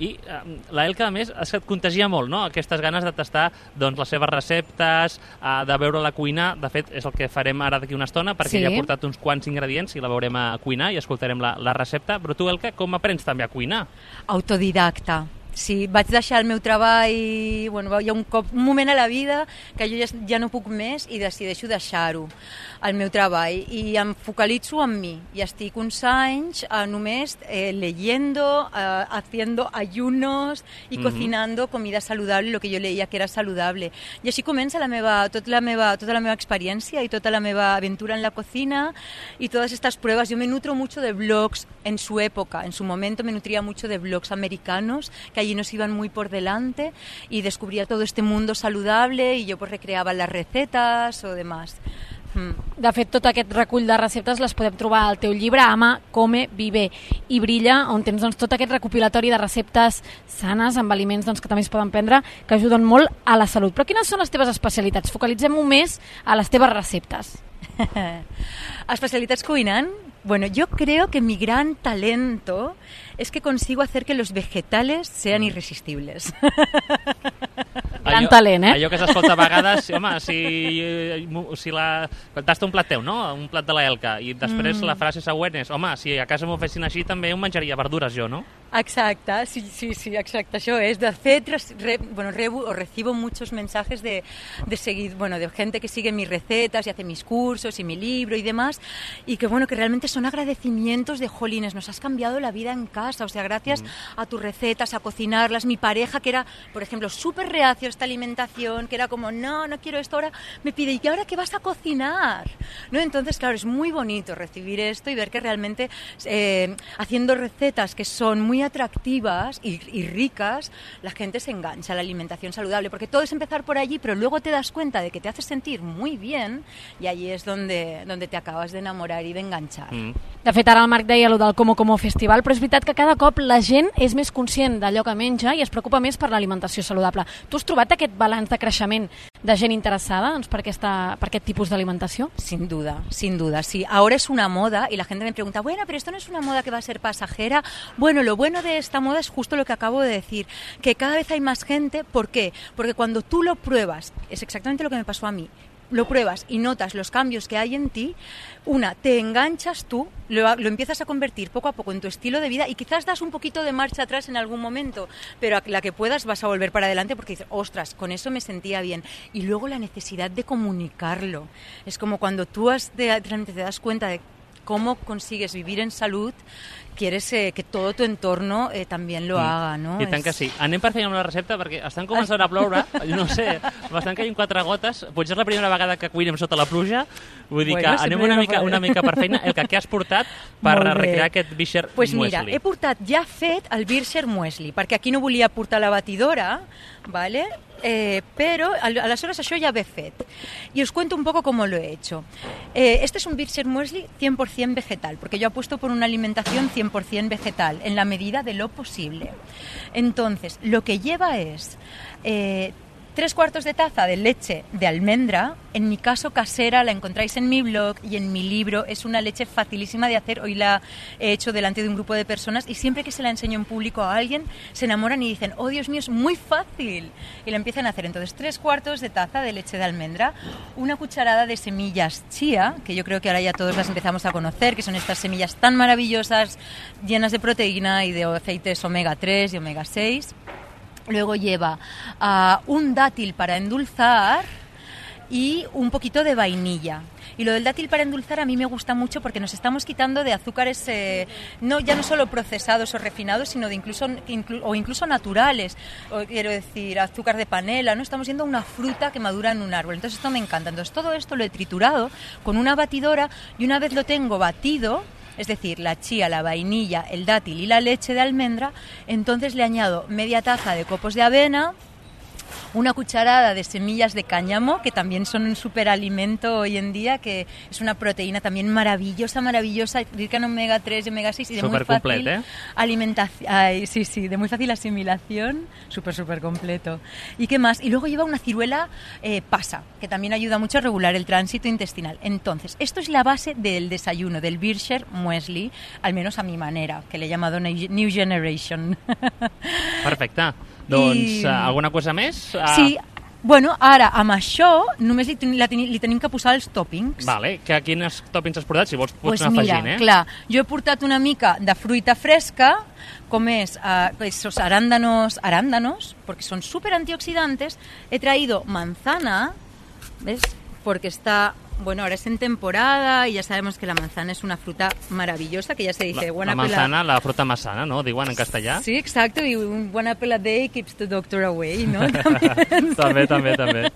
i eh, l'Elka, a més, és que et contagia molt, no?, aquestes ganes de tastar doncs, les seves receptes, eh, de veure-la cuinar. De fet, és el que farem ara d'aquí una estona, perquè sí. ja ha portat uns quants ingredients i la veurem a cuinar i escoltarem la, la recepta. Però tu, Elka, com aprens també a cuinar? Autodidacta. Sí, vaig deixar el meu treball, bueno, hi ha un, cop, un moment a la vida que jo ja, ja no puc més i decideixo deixar-ho, el meu treball, i em focalitzo en mi, i estic uns anys eh, només eh, leyendo, eh, haciendo ayunos i mm-hmm. cocinando comida saludable, lo que jo leía que era saludable. I així comença la meva, tot la meva, tota la meva experiència i tota la meva aventura en la cocina y todas estas pruebas. Yo me nutro mucho de blogs en su época, en su momento me nutría mucho de blogs americanos que allí nos iban muy por delante y descubría todo este mundo saludable y yo pues recreaba las recetas o demás. Mm. De fet, tot aquest recull de receptes les podem trobar al teu llibre Ama, Come, Vive i Brilla, on tens doncs, tot aquest recopilatori de receptes sanes, amb aliments doncs, que també es poden prendre, que ajuden molt a la salut. Però quines són les teves especialitats? Focalitzem-ho més a les teves receptes. ¿Especialitats cuinant? Bueno, yo creo que mi gran talento es que consigo hacer que los vegetales sean irresistibles. Gran talent, eh? Allò que s'escolta a vegades, home, si, si la, quan tasta un plat teu, no? Un plat de la Elka, i després mm. la frase següent és, home, si a casa m'ho fessin així també ho menjaria verdures jo, no? Exacte, sí, sí, sí, exacte, això és. De fet, re, bueno, rebo o recibo muchos mensajes de, de seguir, bueno, de gente que sigue mis recetas y hace mis cursos y mi libro y demás, y que, bueno, que realmente son agradecimientos de, jolines, nos has cambiado la vida en casa, o sea, gracias mm. a tus recetas, a cocinarlas. Mi pareja, que era, por ejemplo, súper reacio a esta alimentación, que era como, no, no quiero esto, ahora me pide, ¿y ahora qué vas a cocinar? ¿No? Entonces, claro, es muy bonito recibir esto y ver que realmente eh, haciendo recetas que son muy atractivas y, y ricas, la gente se engancha a la alimentación saludable, porque todo es empezar por allí, pero luego te das cuenta de que te hace sentir muy bien y allí es donde, donde te acabas de enamorar y de enganchar. Mm. De fet, ara el Marc deia allò del Como Como Festival, però és veritat que cada cop la gent és més conscient d'allò que menja i es preocupa més per l'alimentació saludable. Tu has trobat aquest balanç de creixement de gent interessada doncs, per, aquesta, per aquest tipus d'alimentació? Sin duda, sin duda, sí. Ahora es una moda y la gente me pregunta, bueno, pero esto no es una moda que va a ser pasajera. Bueno, lo bueno de esta moda es justo lo que acabo de decir, que cada vez hay más gente. ¿Por qué? Porque cuando tú lo pruebas, es exactamente lo que me pasó a mí, lo pruebas y notas los cambios que hay en ti, una, te enganchas tú, lo, lo empiezas a convertir poco a poco en tu estilo de vida y quizás das un poquito de marcha atrás en algún momento, pero a la que puedas vas a volver para adelante porque dices, ostras, con eso me sentía bien. Y luego la necesidad de comunicarlo. Es como cuando tú has de, realmente te das cuenta de cómo consigues vivir en salud, quieres eh, que todo tu entorno eh, també lo mm. haga, no? I tant que sí. Anem per fer una recepta perquè estan començant a ploure, no sé, m'estan caient quatre gotes, potser és la primera vegada que cuinem sota la pluja, vull dir bueno, que anem una mica, una mica per feina. El que, què has portat per recrear aquest Bircher pues Muesli? Pues mira, he portat ja fet el Bircher Muesli, perquè aquí no volia portar la batidora, ¿vale? Eh, pero aleshores això ja ve fet. Y os cuento un poco cómo lo he hecho. Eh, este es un Bircher Muesli cien por ciento vegetal, porque yo apuesto por una alimentación cien por ciento vegetal, en la medida de lo posible. Entonces, lo que lleva es eh, tres cuartos de taza de leche de almendra, en mi caso casera, la encontráis en mi blog y en mi libro. Es una leche facilísima de hacer, hoy la he hecho delante de un grupo de personas y siempre que se la enseño en público a alguien se enamoran y dicen, oh Dios mío, es muy fácil, y la empiezan a hacer. Entonces, tres cuartos de taza de leche de almendra, una cucharada de semillas chía, que yo creo que ahora ya todos las empezamos a conocer, que son estas semillas tan maravillosas, llenas de proteína y de aceites omega tres y omega seis. Luego lleva uh, un dátil para endulzar y un poquito de vainilla. Y lo del dátil para endulzar a mí me gusta mucho porque nos estamos quitando de azúcares eh, no ya no solo procesados o refinados, sino de incluso inclu, o incluso naturales. O, quiero decir, azúcar de panela, ¿no? Estamos yendo a una fruta que madura en un árbol. Entonces esto me encanta. Entonces todo esto lo he triturado con una batidora y una vez lo tengo batido, es decir, la chía, la vainilla, el dátil y la leche de almendra, entonces le añado media taza de copos de avena, una cucharada de semillas de cáñamo, que también son un superalimento hoy en día, que es una proteína también maravillosa, maravillosa, rica en omega tres y omega seis y de super muy fácil complet, ¿eh? alimentación. Ay, sí, sí, de muy fácil asimilación, súper, súper completo. ¿Y qué más? Y luego lleva una ciruela eh, pasa, que también ayuda mucho a regular el tránsito intestinal. Entonces, esto es la base del desayuno, del Bircher Muesli, al menos a mi manera, que le he llamado New Generation. Perfecte. Doncs I... uh, alguna cosa més? Uh... Sí, bueno, ara amb això només li, ten, ten, li tenim que posar els tòpings. Vale, que quins tòpings has portat? Si vols pots pues anar mira, afegint, eh? Clar, jo he portat una mica de fruita fresca, com és uh, esos arándanos, arándanos, porque son súper antioxidantes. He traído manzana, ¿ves? Porque está... Bueno, ahora es en temporada y ya sabemos que la manzana es una fruta maravillosa, que ya se dice... La, buena la manzana, pela... la fruta más sana, ¿no? Diuen en castellà. Sí, exacto, y un buen apple a day keeps the doctor away, ¿no? También. També, també, també.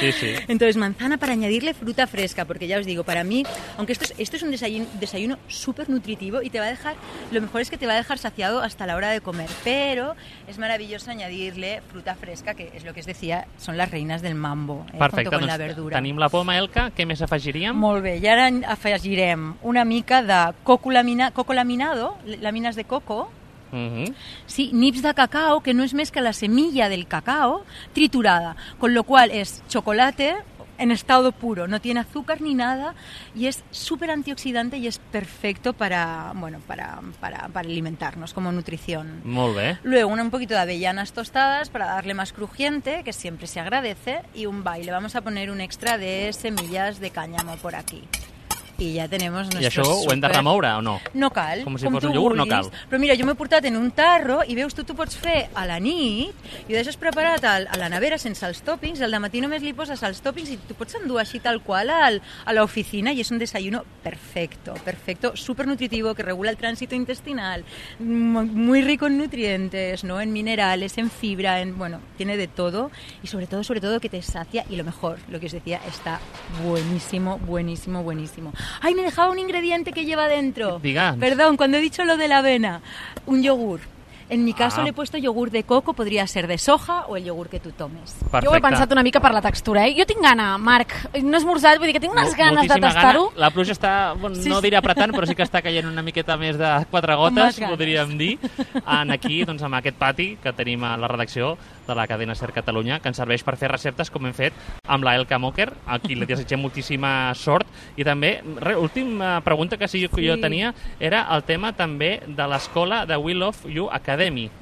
Sí, sí. Entonces, manzana para añadirle fruta fresca, porque ya os digo, para mí, aunque esto es, esto es un desayuno, desayuno súper nutritivo y te va a dejar, lo mejor es que te va a dejar saciado hasta la hora de comer, pero es maravilloso añadirle fruta fresca, que es lo que os decía, son las reinas del mambo, eh, Perfecte, junto con doncs la verdura. Tenim la poma, Elka, què més afegiríem? Molt bé, i ara afegirem una mica de coco, lamina, coco laminado, làmines de coco, Uh-huh. sí, nips de cacao, que no es més que la semilla del cacao triturada, con lo cual es chocolate, en estado puro, no tiene azúcar ni nada y es súper antioxidante y es perfecto para, bueno, para, para, para alimentarnos como nutrición. Molt bé. Luego un poquito de avellanas tostadas para darle más crujiente, que siempre se agradece, y un baile. Vamos a poner un extra de semillas de cáñamo por aquí. I ja tenim nuestros I això ho hem de remoure o no? No cal. Com si fos un iogurt, no cal. Però mira, jo m'he portat en un tarro i veus, tu t'ho pots fer a la nit i ho deixes preparat al, a la nevera sense els tòpings, al matí només li poses els tòpings i t'ho pots endur així tal qual al, a l'oficina i és un desayuno perfecto, perfecto, súper nutritivo, que regula el tránsito intestinal, muy rico en nutrientes, ¿no? En minerales, en fibra, en, bueno, tiene de todo y sobre todo, sobre todo que te sacia y lo mejor, lo que os decía, está buenísimo, buenísimo, buenísimo. ¡Ay, me dejaba un ingrediente que lleva dentro! Diga. Perdón, cuando he dicho lo de la avena. Un yogur. En mi caso Ah. le he puesto yogur de coco, podría ser de soja o el yogur que tu tomes. Perfecte. Jo ho he pensat una mica per la textura, eh? Jo tinc gana, Marc. No he esmorzat, vull dir que tinc unes Mol- ganes de moltíssima tastar-ho. gana. La pluja està, bueno, Sí, no sí. diré apretant, però sí que està caient una miqueta més de quatre Amb gotes, les ganes. podríem dir, en aquí, doncs, amb aquest pati que tenim a la redacció de la cadena Ser Catalunya, que ens serveix per fer receptes com hem fet amb la Elka Moker, a qui li desitgem moltíssima sort. I també, re, última pregunta que sí, Sí. jo tenia, era el tema també de l'escola de We Love You Academy.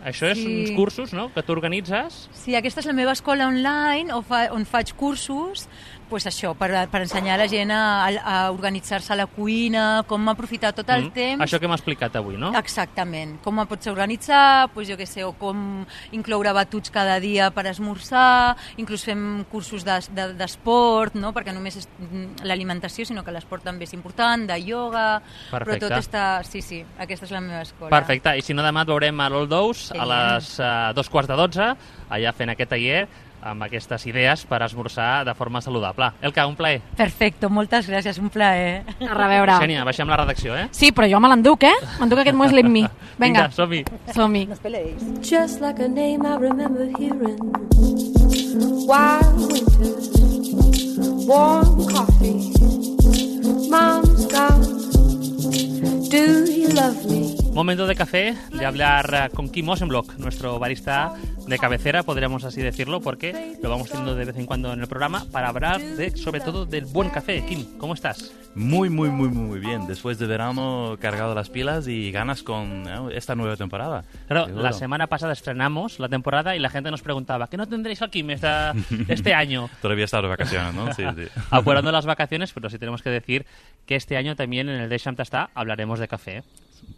Això és Sí. uns cursos, no?, que tu organitzes. Sí, aquesta és la meva escola online on, fa, on faig cursos pues això, per, per ensenyar a la gent a, a organitzar-se a la cuina, com aprofitar tot el Mm. temps. Això que hem explicat avui, no? Exactament, com pots organitzar, pues, jo què sé, o com incloure batuts cada dia per esmorzar, inclús fem cursos d'esport, de, de, no? Perquè només és l'alimentació, sinó que l'esport també és important, de ioga, Perfecte. però tot està... Sí, sí, aquesta és la meva escola. Perfecte, i si no demà et veurem a l'Old Dous a Genial. les uh, dos quarts de dotze, allà fent aquest taller amb aquestes idees per esmorzar de forma saludable. Elka, un plaer. Perfecto, moltes gràcies, un plaer. A reveure. Xènia, baixem la redacció, eh? Sí, però jo me l'enduc, eh? M'enduc aquest muesli amb mi. Vinga, som-hi. som-hi. No us peleis. Just like a name I remember hearing. Wild winters, warm coffee. Mom's gone. Do you love me? Momento de café, de hablar uh, con Kim Osenblock, nuestro barista de cabecera, podríamos así decirlo, porque lo vamos teniendo de vez en cuando en el programa para hablar de, sobre todo del buen café. Kim, ¿cómo estás? Muy, muy, muy, muy bien. Después de verano, cargado las pilas y ganas con ¿no? esta nueva temporada. Claro, Seguro. la semana pasada estrenamos la temporada y la gente nos preguntaba, ¿qué no tendréis al Kim esta, este año? Todavía he estado de vacaciones, ¿no? Sí, sí. Apurando las vacaciones, pero sí tenemos que decir que este año también en el Deixa'm Tastar hablaremos de café.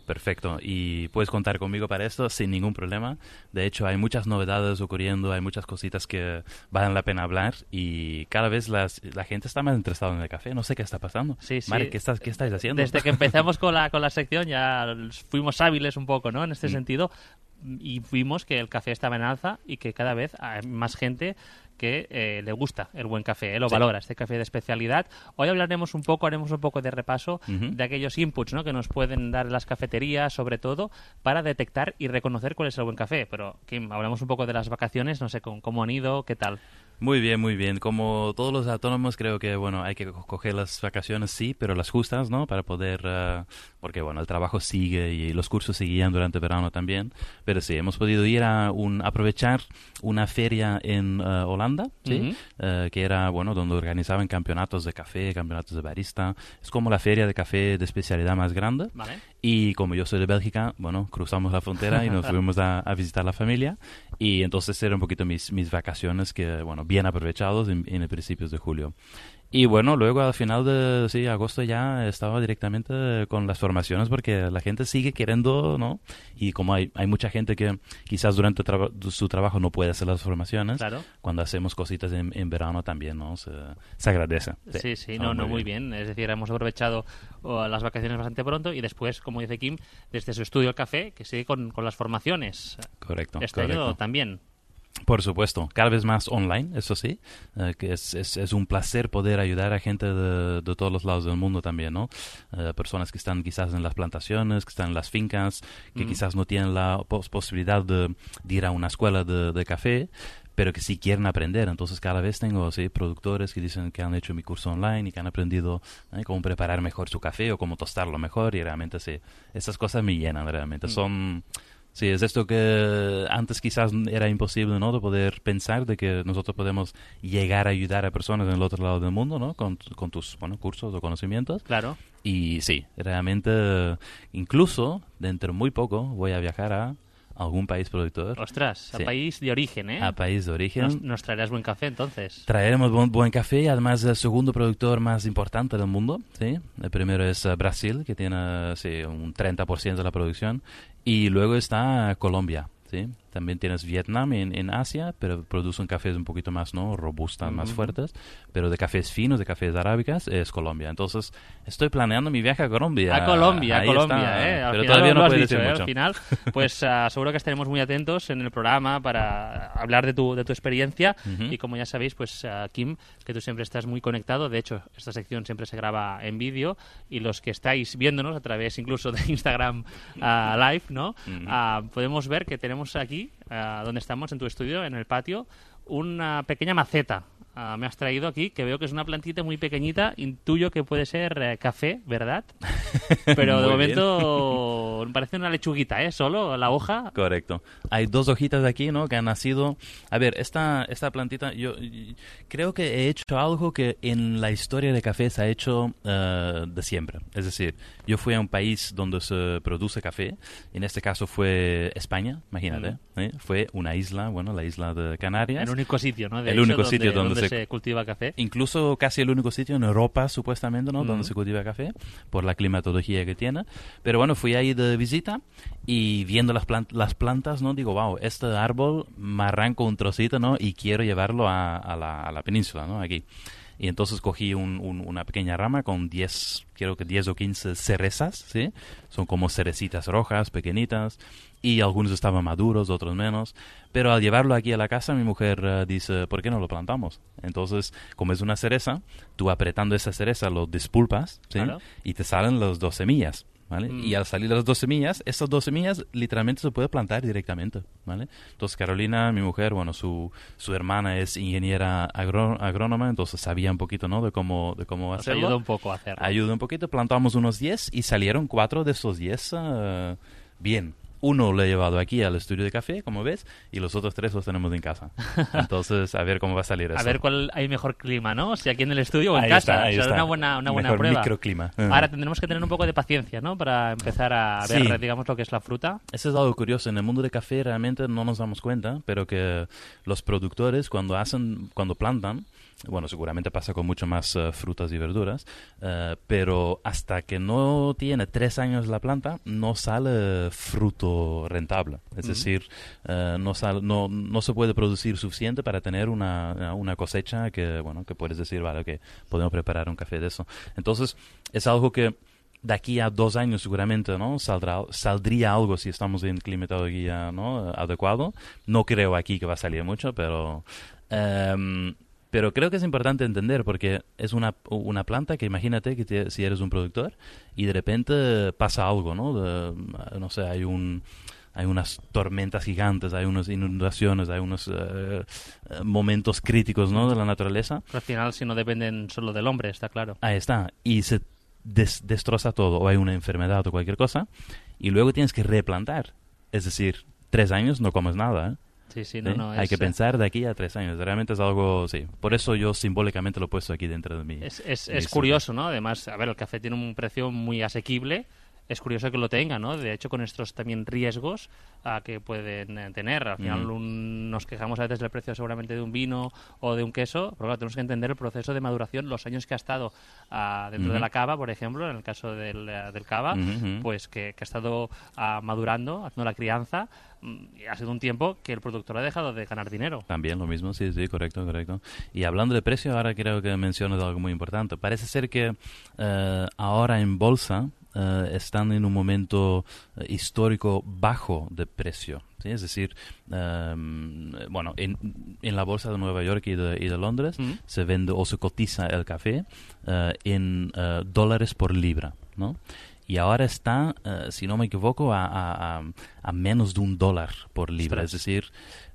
Perfecto. Y puedes contar conmigo para esto sin ningún problema. De hecho, hay muchas novedades ocurriendo, hay muchas cositas que valen la pena hablar y cada vez las, la gente está más interesada en el café. No sé qué está pasando. Sí, sí. Mari, ¿qué, estás, ¿qué estáis haciendo? Desde que empezamos con la, con la sección ya fuimos hábiles un poco, ¿no? En este Mm. sentido, y vimos que el café estaba en alza y que cada vez hay más gente que eh, le gusta el buen café, eh, lo Sí. valora, este café de especialidad. Hoy hablaremos un poco, haremos un poco de repaso Ujú. de aquellos inputs, ¿no?, que nos pueden dar las cafeterías, sobre todo, para detectar y reconocer cuál es el buen café. Pero, Kim, hablamos un poco de las vacaciones, no sé cómo, cómo han ido, qué tal. Muy bien, muy bien. Como todos los autónomos, creo que, bueno, hay que co- coger las vacaciones, sí, pero las justas, ¿no? Para poder, eh, porque, bueno, el trabajo sigue y los cursos seguían durante verano también. Pero sí, hemos podido ir a un, aprovechar una feria en eh, Holanda, ¿sí? Ujú. Eh, que era, bueno, donde organizaban campeonatos de café, campeonatos de barista. Es como la feria de café de especialidad más grande. Vale. Y como yo soy de Bélgica, bueno, cruzamos la frontera y nos fuimos a, a visitar la familia. Y entonces eran un poquito mis, mis vacaciones que, bueno, bien aprovechados en, en el principios de julio. Y bueno, luego al final de sí, agosto ya estaba directamente con las formaciones porque la gente sigue queriendo, ¿no? Y como hay, hay mucha gente que quizás durante traba- su trabajo no puede hacer las formaciones, Claro. cuando hacemos cositas en, en verano también, ¿no? Se, se agradece. Sí, sí, Está no, no, muy bien. Es decir, hemos aprovechado oh, las vacaciones bastante pronto y después, como dice Kim, desde su estudio El Café, que sigue con, con las formaciones. Correcto, Este correcto. año también. Por supuesto, cada vez más online, eso sí, eh, que es, es, es un placer poder ayudar a gente de, de todos los lados del mundo también, ¿no? Eh, personas que están quizás en las plantaciones, que están en las fincas, que Mm. quizás no tienen la pos- posibilidad de, de ir a una escuela de, de café, pero que sí quieren aprender. Entonces cada vez tengo sí, productores que dicen que han hecho mi curso online y que han aprendido eh, cómo preparar mejor su café o cómo tostarlo mejor y realmente sí, esas cosas me llenan realmente. Mm. Son... Sí, es esto que antes quizás era imposible, ¿no? De poder pensar de que nosotros podemos llegar a ayudar a personas en el otro lado del mundo, ¿no? Con, con tus, bueno, cursos o conocimientos. Claro. Y sí, realmente, incluso dentro de muy poco voy a viajar a algún país productor. Ostras, a sí. país de origen, ¿eh? A país de origen. Nos, nos traerás buen café, entonces. Traeremos buen, buen café y además el segundo productor más importante del mundo, ¿sí? El primero es uh, Brasil, que tiene sí, un treinta por ciento de la producción. Y luego está Colombia, ¿sí? También tienes Vietnam en, en Asia, pero producen cafés un poquito más, ¿no? Robustas, uh-huh. más fuertes. Pero de cafés finos, de cafés arábicas, es Colombia. Entonces, estoy planeando mi viaje a Colombia. A Colombia, Ahí a Colombia, está. ¿eh? Al Pero final todavía lo no has puedo dicho, decir ¿eh? mucho. Al final, pues uh, seguro que estaremos muy atentos en el programa para hablar de tu, de tu experiencia. Uh-huh. Y como ya sabéis, pues uh, Kim, que tú siempre estás muy conectado. De hecho, esta sección siempre se graba en vídeo. Y los que estáis viéndonos a través incluso de Instagram uh, Live, ¿no? Uh-huh. Uh, podemos ver que tenemos aquí, uh, donde estamos, en tu estudio, en el patio, una pequeña maceta. Uh, me has traído aquí, que veo que es una plantita muy pequeñita, intuyo que puede ser eh, café, ¿verdad? Pero de momento me parece una lechuguita, ¿eh? Solo la hoja. Correcto. Hay dos hojitas aquí, ¿no? Que han nacido. A ver, esta, esta plantita, yo, yo creo que he hecho algo que en la historia de café se ha hecho uh, de siempre. Es decir, yo fui a un país donde se produce café, en este caso fue España, imagínate, mm. ¿eh? Fue una isla, bueno, la isla de Canarias. El único sitio, ¿no? De el hecho, único donde, sitio donde, donde se, se cultiva café. Incluso casi el único sitio en Europa, supuestamente, ¿no? Mm. Donde se cultiva café, por la climatología que tiene. Pero bueno, fui ahí de visita y viendo las, plant- las plantas, ¿no? Digo, wow, este árbol me arranco un trocito, ¿no? Y quiero llevarlo a, a, la, a la península, ¿no? Aquí. Y entonces cogí un, un, una pequeña rama con diez, creo que diez o quince cerezas, ¿sí? Son como cerecitas rojas, pequeñitas, y algunos estaban maduros, otros menos. Pero al llevarlo aquí a la casa, mi mujer uh, dice, ¿por qué no lo plantamos? Entonces, como es una cereza, tú apretando esa cereza lo despulpas, ¿sí? Claro. Y te salen las dos semillas. ¿Vale? Mm. Y al salir las dos semillas, esas dos semillas literalmente se puede plantar directamente, ¿vale? Entonces Carolina, mi mujer, bueno, su, su hermana es ingeniera agro, agrónoma, entonces sabía un poquito, ¿no? De cómo, de cómo Nos hacerlo. ayuda un poco a hacerlo. Ayuda un poquito, plantamos unos diez y salieron cuatro de esos diez uh, bien. Uno lo he llevado aquí al estudio de café, como ves, y los otros tres los tenemos en casa. Entonces, a ver cómo va a salir eso. A ver cuál hay mejor clima, ¿no? Si aquí en el estudio o en ahí casa. Está, ahí o sea, está. una buena, una buena mejor prueba. Microclima. Ahora tendremos que tener un poco de paciencia, ¿no? Para empezar a ver, sí. digamos, lo que es la fruta. Eso es algo curioso. En el mundo de café realmente no nos damos cuenta, pero que los productores cuando hacen, cuando plantan, bueno, seguramente pasa con mucho más uh, frutas y verduras, uh, pero hasta que no tiene tres años la planta, no sale fruto rentable. Es uh-huh. decir, uh, no, sale, no, no se puede producir suficiente para tener una, una cosecha que, bueno, que puedes decir, vale, ok, podemos preparar un café de eso. Entonces, es algo que de aquí a dos años seguramente, ¿no? Saldrá, saldría algo si estamos en climatología, ¿no? Adecuado. No creo aquí que va a salir mucho, pero... Um, Pero creo que es importante entender porque es una, una planta que imagínate que te, si eres un productor y de repente pasa algo, ¿no? De, no sé, hay un... Hay unas tormentas gigantes, hay unas inundaciones, hay unos uh, momentos críticos, ¿no? De la naturaleza. Pero al final, si no dependen solo del hombre, está claro. Ahí está. Y se des- destroza todo, o hay una enfermedad o cualquier cosa, y luego tienes que replantar. Es decir, tres años no comes nada, ¿eh? Sí, sí, no, ¿Sí? no. Hay es, que pensar de aquí a tres años. Realmente es algo, sí. Por eso yo simbólicamente lo he puesto aquí dentro de mí. Es, es, es curioso, ¿no? Además, a ver, el café tiene un precio muy asequible. Es curioso que lo tenga, ¿no? De hecho, con estos también riesgos uh, que pueden eh, tener. Al final mm. un, nos quejamos a veces del precio seguramente de un vino o de un queso, pero claro, tenemos que entender el proceso de maduración, los años que ha estado uh, dentro mm-hmm. de la cava, por ejemplo, en el caso del, uh, del cava, mm-hmm. pues que, que ha estado uh, madurando, haciendo la crianza. Y ha sido un tiempo que el productor ha dejado de ganar dinero. También lo mismo, sí, sí, correcto, correcto. Y hablando de precio, ahora creo que mencionas algo muy importante. Parece ser que uh, ahora en bolsa uh, están en un momento uh, histórico bajo de precio. ¿Sí? Es decir, um, bueno, en, en la bolsa de Nueva York y de, y de Londres mm. se vende o se cotiza el café uh, en uh, dólares por libra, ¿no? Y ahora está, uh, si no me equivoco, a, a, a menos de un dólar por libra. Ostras. Es decir,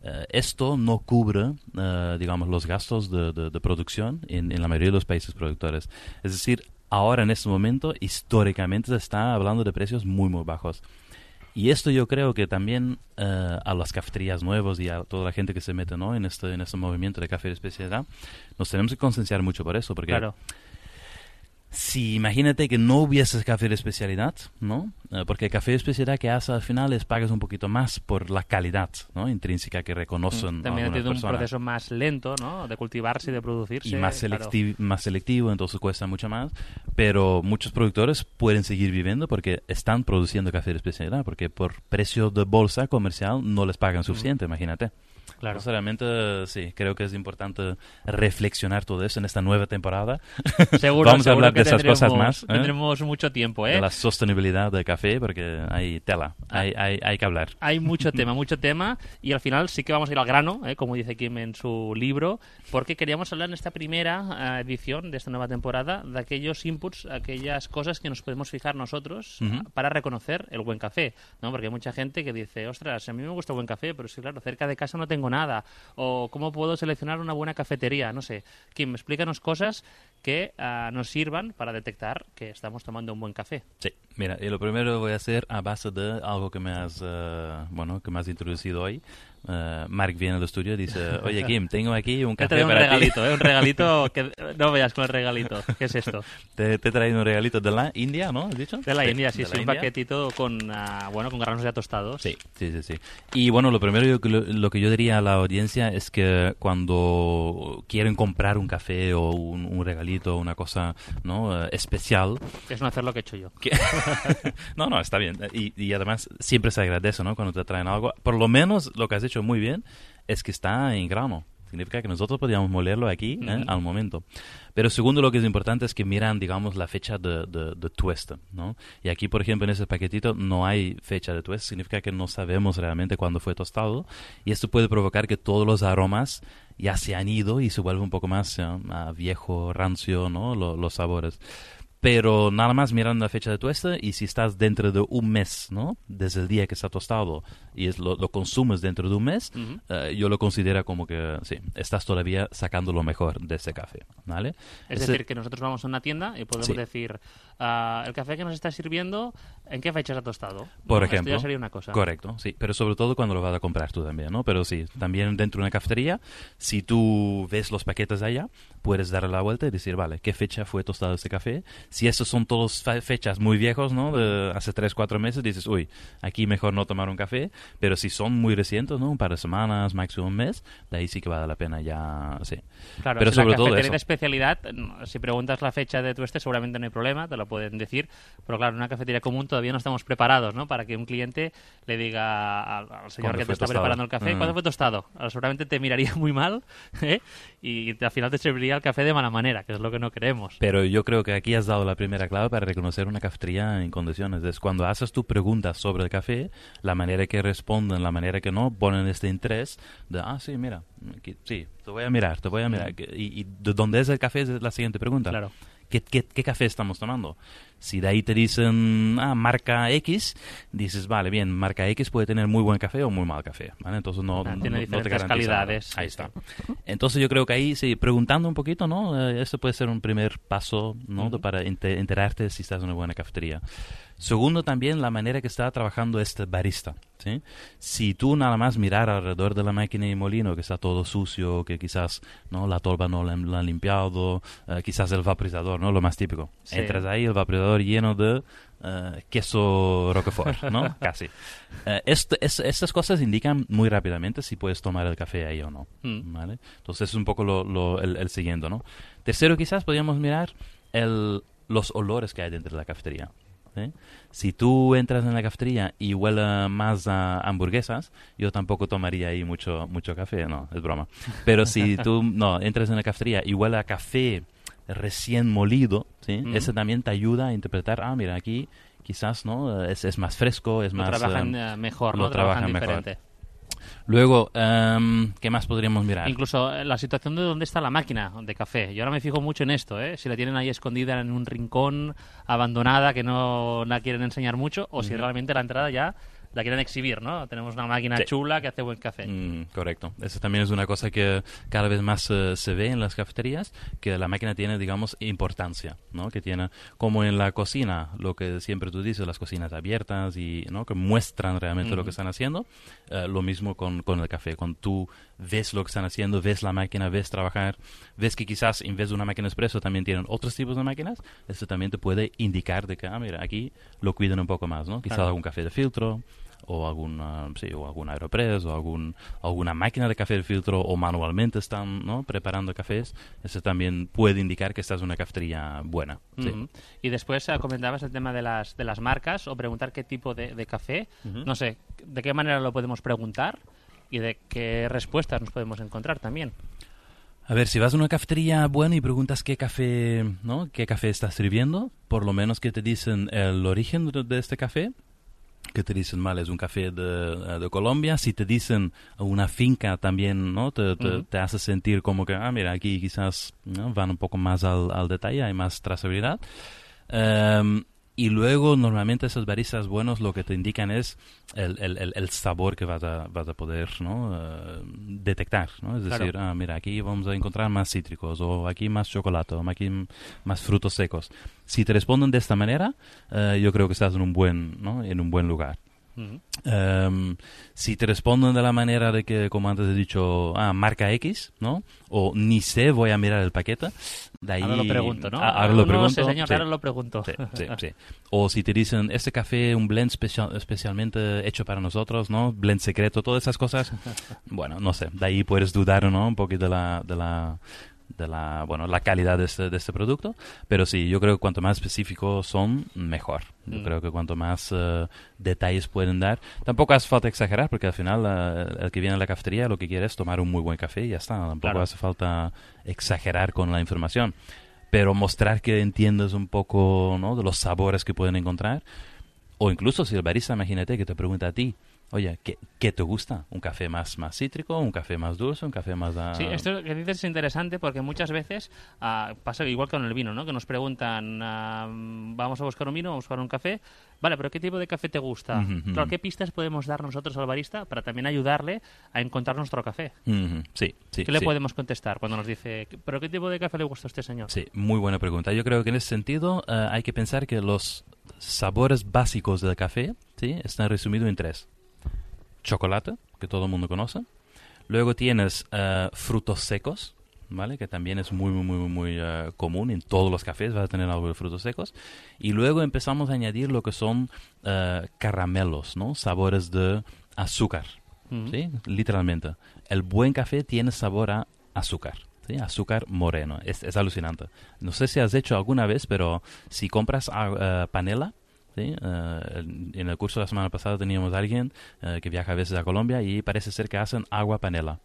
uh, esto no cubre, uh, digamos, los gastos de, de, de producción en, en la mayoría de los países productores. Es decir, ahora en este momento, históricamente, se está hablando de precios muy, muy bajos. Y esto yo creo que también uh, a las cafeterías nuevas y a toda la gente que se mete, ¿no?, en este en este movimiento de café de especialidad, nos tenemos que concienciar mucho por eso, porque claro. si imagínate que no hubiese café de especialidad, ¿no? Uh, porque el café de especialidad que hace al final es pagas un poquito más por la calidad, ¿no?, intrínseca que reconocen. También ha tenido un personas. proceso más lento, ¿no?, de cultivarse y de producirse. Y más, selecti- claro. más selectivo, entonces cuesta mucho más. Pero muchos productores pueden seguir viviendo porque están produciendo café de especialidad, porque por precio de bolsa comercial no les pagan suficiente, mm. imagínate. Claro. Entonces, realmente, sí, creo que es importante reflexionar todo eso en esta nueva temporada. Seguro, Vamos a seguro hablar que de esas cosas más. ¿eh? Tendremos mucho tiempo, ¿eh? De la sostenibilidad del café, porque hay tela, hay, hay, hay que hablar. Hay mucho tema, mucho tema, y al final sí que vamos a ir al grano, ¿eh?, como dice Kim en su libro, porque queríamos hablar en esta primera uh, edición de esta nueva temporada de aquellos inputs, aquellas cosas que nos podemos fijar nosotros Uh-huh. uh, para reconocer el buen café, ¿no? Porque hay mucha gente que dice, ostras, a mí me gusta el buen café, pero sí, claro, cerca de casa no tengo nada, o cómo puedo seleccionar una buena cafetería, no sé. Kim, explícanos cosas que uh, nos sirvan para detectar que estamos tomando un buen café. Sí, mira, y lo primero voy a hacer a base de algo que me has, uh, bueno, que me has introducido hoy. Uh, Marc viene al estudio y dice, oye Kim, tengo aquí un café te para un regalito, ti. ¿eh? Un regalito que no veas con el regalito. ¿Qué es esto? Te, te he traído un regalito de la India, ¿no? ¿Has dicho? De la sí, India, sí, de sí, la un India. paquetito con, uh, bueno, con granos ya tostados. Sí, sí, sí, sí. Y bueno, lo primero yo, lo, lo que yo diría a la audiencia es que cuando quieren comprar un café o un, un regalito, una cosa, ¿no?, uh, especial. Es no hacer lo que he hecho yo. Que... no, no, está bien. Y, y además siempre se agradece, ¿no?, cuando te traen algo. Por lo menos lo que has hecho muy bien es que está en grano. Significa que nosotros podríamos molerlo aquí, ¿eh?, Uh-huh. al momento. Pero segundo, lo que es importante es que miran, digamos, la fecha de, de, de tueste, ¿no? Y aquí, por ejemplo, en ese paquetito no hay fecha de tueste. Significa que no sabemos realmente cuándo fue tostado. Y esto puede provocar que todos los aromas ya se han ido y se vuelve un poco más, ¿eh?, viejo, rancio, ¿no?, Lo, los sabores. Pero nada más mirando la fecha de tueste, y si estás dentro de un mes, ¿no?, desde el día que está tostado, y es lo, lo consumes dentro de un mes, Uh-huh. eh, yo lo considero como que, sí, estás todavía sacando lo mejor de ese café, ¿vale? Es Ese- decir, que nosotros vamos a una tienda y podemos Sí. decir, ah, el café que nos está sirviendo, ¿en qué fecha se ha tostado? Por No, ejemplo. Esto ya sería una cosa. Correcto, sí. Pero sobre todo cuando lo vas a comprar tú también, ¿no? Pero sí, también dentro de una cafetería, si tú ves los paquetes allá, puedes darle la vuelta y decir, vale, ¿qué fecha fue tostado este café? Si esos son todos fe- fechas muy viejos, ¿no?, de hace tres, cuatro meses, dices, uy, aquí mejor no tomar un café. Pero si son muy recientes, ¿no?, un par de semanas, máximo un mes, de ahí sí que vale la pena ya, sí. Claro, Pero si sobre la todo cafetería eso. de especialidad, si preguntas la fecha de tueste, seguramente no hay problema, te lo pueden decir. Pero claro, en una cafetería común todavía no estamos preparados, ¿no?, para que un cliente le diga al, al señor ¿Cuándo que te fue está tostado? preparando el café, Mm. ¿cuándo fue tostado? Ahora, seguramente te miraría muy mal, ¿eh?, y al final te serviría el café de mala manera, que es lo que no queremos. Pero yo creo que aquí has dado la primera clave para reconocer una cafetería en condiciones. Es cuando haces tu preguntas sobre el café, la manera que responden, la manera que no, ponen este interés de, ah, sí, mira, aquí- sí, te voy a mirar, te voy a mirar. Y, y de dónde es el café es la siguiente pregunta. Claro. ¿Qué, qué, qué café estamos tomando? Si de ahí te dicen, ah, marca X, dices, vale, bien, marca X puede tener muy buen café o muy mal café, ¿vale? Entonces no, Ah, no, tiene no te diferentes garantiza calidades, nada. Ahí sí, está. Entonces yo creo que ahí, sí, preguntando un poquito, ¿no? Eh, esto puede ser un primer paso, ¿no? De- para ente- enterarte si estás en una buena cafetería. Segundo, también la manera que está trabajando este barista, ¿sí? Si tú nada más mirar alrededor de la máquina y molino, que está todo sucio, que quizás, ¿no?, la tolva no la, la han limpiado, eh, quizás el vaporizador, ¿no?, lo más típico. Sí. Entras ahí, el vaporizador lleno de eh, queso Roquefort, ¿no? Casi. Eh, esto- es- estas cosas indican muy rápidamente si puedes tomar el café ahí o no, Mm. ¿vale? Entonces es un poco lo, lo- el, el siguiente, ¿no? Tercero, quizás podríamos mirar el, los olores que hay dentro de la cafetería. ¿Sí? Si tú entras en la cafetería y huele más a hamburguesas, yo tampoco tomaría ahí mucho mucho café, no, es broma. Pero si tú no entras en la cafetería y huele a café recién molido, ¿sí? Mm. Ese también te ayuda a interpretar, ah, mira, aquí quizás, ¿no?, es, es más fresco, es Lo más... trabajan eh, eh, mejor, lo ¿no? Trabajan, trabajan mejor. diferente. Luego, em, ¿qué más podríamos mirar? Incluso eh, la situación de dónde está la máquina de café. Yo ahora me fijo mucho en esto, ¿eh? Si la tienen ahí escondida en un rincón, abandonada, que no la quieren enseñar mucho, o si Ujú. realmente la entrada ya la quieren exhibir, ¿no? Tenemos una máquina sí. chula que hace buen café. Mm, correcto. Eso también es una cosa que cada vez más uh, se ve en las cafeterías, que la máquina tiene, digamos, importancia, ¿no? Que tiene, como en la cocina, lo que siempre tú dices, las cocinas abiertas y, ¿no? Que muestran realmente mm-hmm. lo que están haciendo. Uh, lo mismo con, con el café. Cuando tú ves lo que están haciendo, ves la máquina, ves trabajar, ves que quizás en vez de una máquina expreso también tienen otros tipos de máquinas, eso también te puede indicar de que, ah, mira, aquí lo cuidan un poco más, ¿no? Quizás claro. algún café de filtro, o algún, uh, sí, o algún Aeropress, o algún, alguna máquina de café de filtro, o manualmente están, ¿no? preparando cafés. Eso también puede indicar que esta es una cafetería buena. Sí. Uh-huh. Y después uh, comentabas el tema de las, de las marcas, o preguntar qué tipo de, de café. Uh-huh. No sé, ¿de qué manera lo podemos preguntar? Y de qué respuestas nos podemos encontrar también. A ver, si vas a una cafetería buena y preguntas qué café, ¿no? qué café estás sirviendo, por lo menos que te dicen el origen de, de este café, que te dicen, vale, es un café de, de Colombia. Si te dicen una finca también, ¿no? Te, te, uh-huh. te hace sentir como que, ah, mira, aquí quizás, ¿no? van un poco más al, al detalle, hay más trazabilidad. Um, Y luego, normalmente, esos baristas buenos lo que te indican es el, el, el, el sabor que vas a, vas a poder, ¿no? uh, detectar, ¿no? Es decir, claro. ah, mira, aquí vamos a encontrar más cítricos, o aquí más chocolate, o aquí más frutos secos. Si te responden de esta manera, uh, yo creo que estás en un buen, ¿no? en un buen lugar. Uh-huh. Um, si te responden de la manera de que, como antes he dicho, ah, marca X, ¿no? O ni sé, voy a mirar el paquete. De ahí, ahora lo pregunto, ¿no? A, ahora lo pregunto. No sé, señor, sí. ahora lo pregunto. Sí, sí, sí. O si te dicen, este café, un blend especial, especialmente hecho para nosotros, ¿no? Blend secreto, todas esas cosas. Bueno, no sé. De ahí puedes dudar, ¿no? Un poquito de la... De la de la bueno la calidad de este, de este producto, pero sí, yo creo que cuanto más específicos son, mejor. Yo mm. creo que cuanto más uh, detalles pueden dar, tampoco hace falta exagerar, porque al final uh, el que viene a la cafetería lo que quiere es tomar un muy buen café y ya está, tampoco claro. hace falta exagerar con la información, pero mostrar que entiendes un poco, ¿no? de los sabores que pueden encontrar, o incluso si el barista, imagínate que te pregunta a ti, oye, ¿qué, ¿qué te gusta? ¿Un café más, más cítrico? ¿Un café más dulce? ¿Un café más...? Uh... Sí, esto que dices es interesante porque muchas veces uh, pasa igual que con el vino, ¿no? Que nos preguntan, uh, vamos a buscar un vino, vamos a buscar un café. Vale, pero ¿qué tipo de café te gusta? Uh-huh. Claro, ¿qué pistas podemos dar nosotros al barista para también ayudarle a encontrar nuestro café? Uh-huh. Sí, sí. ¿Qué le sí. podemos contestar cuando nos dice, ¿pero qué tipo de café le gusta a este señor? Sí, muy buena pregunta. Yo creo que en ese sentido uh, hay que pensar que los sabores básicos del café, ¿sí? están resumidos en tres. Chocolate, que todo el mundo conoce. Luego tienes uh, frutos secos, ¿vale? Que también es muy, muy, muy, muy uh, común. En todos los cafés vas a tener algo de frutos secos. Y luego empezamos a añadir lo que son uh, caramelos, ¿no? Sabores de azúcar, uh-huh. ¿sí? Literalmente. El buen café tiene sabor a azúcar. ¿Sí? Azúcar moreno. Es, es alucinante. No sé si has hecho alguna vez, pero si compras uh, panela, ¿sí? Uh, en el curso de la semana pasada teníamos a alguien uh, que viaja a veces a Colombia y parece ser que hacen agua panela.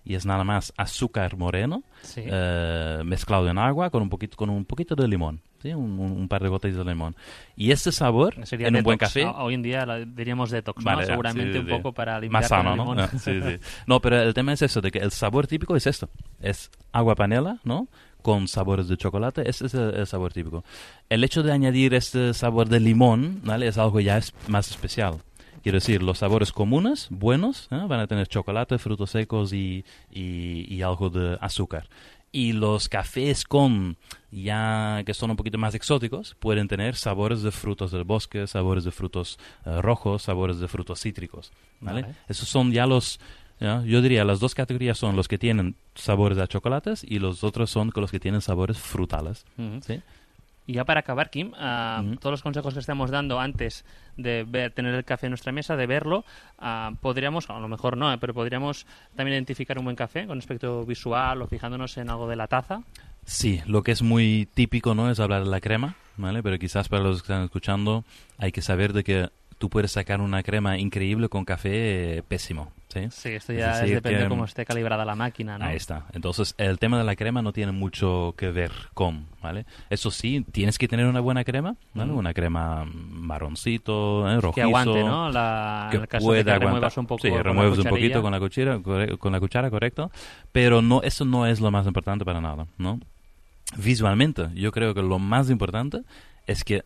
Y es nada más azúcar moreno sí. uh, mezclado en agua con un poquito con un poquito de limón, ¿sí? un, un, un par de gotas de limón. Y este sabor sería en detox. Un buen café... Hoy en día la, diríamos detox, vale, ¿no? Seguramente sí, sí, un poco para limpiar más sano, con el limón. ¿no? No, sí, sí. No, pero el tema es eso, de que el sabor típico es esto. Es agua panela, ¿no? Con sabores de chocolate, ese es el, el sabor típico. El hecho de añadir este sabor de limón, ¿vale? Es algo ya es más especial. Quiero decir, los sabores comunes, buenos, ¿eh? van a tener chocolate, frutos secos y, y, y algo de azúcar. Y los cafés con ya que son un poquito más exóticos pueden tener sabores de frutos del bosque, sabores de frutos uh, rojos, sabores de frutos cítricos, ¿vale? Vale. Esos son ya los... ¿ya? Yo diría, las dos categorías son los que tienen sabores a chocolates y los otros son los que tienen sabores frutales. Uh-huh. ¿Sí? Y ya para acabar, Kim, uh, uh-huh. todos los consejos que estamos dando antes de ver, tener el café en nuestra mesa, de verlo, uh, podríamos, a lo mejor no, eh, pero podríamos también identificar un buen café con aspecto visual o fijándonos en algo de la taza. Sí, lo que es muy típico, ¿no?, es hablar de la crema, ¿vale? Pero quizás para los que están escuchando hay que saber de que tú puedes sacar una crema increíble con café eh, pésimo, ¿sí? Sí, esto ya es es depende de cómo esté calibrada la máquina, ¿no? Ahí está. Entonces, el tema de la crema no tiene mucho que ver con, ¿vale? Eso sí, tienes que tener una buena crema, ¿vale? Mm. Una crema marroncito, ¿eh? Rojizo. Que aguante, ¿no? La, que en el caso pueda de que aguantar. remuevas un poco sí, con remueves la un poquito con la cuchara, con la cuchara, correcto. Pero no, eso no es lo más importante para nada, ¿no? Visualmente, yo creo que lo más importante es que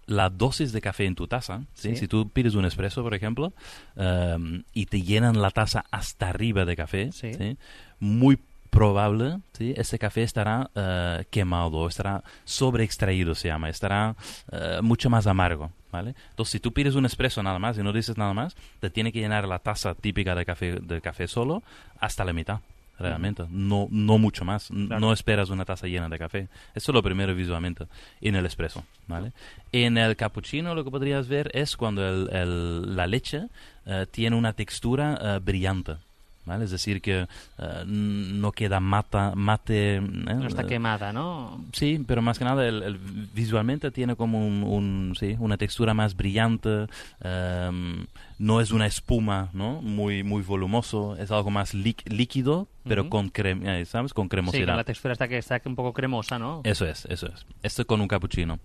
la dosis de café en tu taza, ¿sí? Sí. Si tú pides un espresso, por ejemplo, um, y te llenan la taza hasta arriba de café, Sí. ¿sí? Muy probable, ¿sí? Ese café estará uh, quemado, estará sobreextraído, se llama, estará uh, mucho más amargo, ¿vale? Entonces, si tú pides un espresso nada más y no dices nada más, te tiene que llenar la taza típica de café, de café solo hasta la mitad. Realmente, uh-huh. no, no mucho más. Claro. No esperas una taza llena de café. Eso es lo primero visualmente en el espresso, ¿vale? En el cappuccino lo que podrías ver es cuando el, el, la leche uh, tiene una textura uh, brillante, ¿vale? Es decir, que uh, no queda mata, mate... ¿eh? No está quemada, ¿no? Sí, pero más que nada el, el, visualmente tiene como un, un, sí, una textura más brillante, um, no es una espuma, ¿no? Muy, muy volumoso, es algo más líquido, pero uh-huh. con crema, ¿sabes? Con cremosidad. Sí, con la textura está que está un poco cremosa, ¿no? Eso es, eso es. Esto con un cappuccino.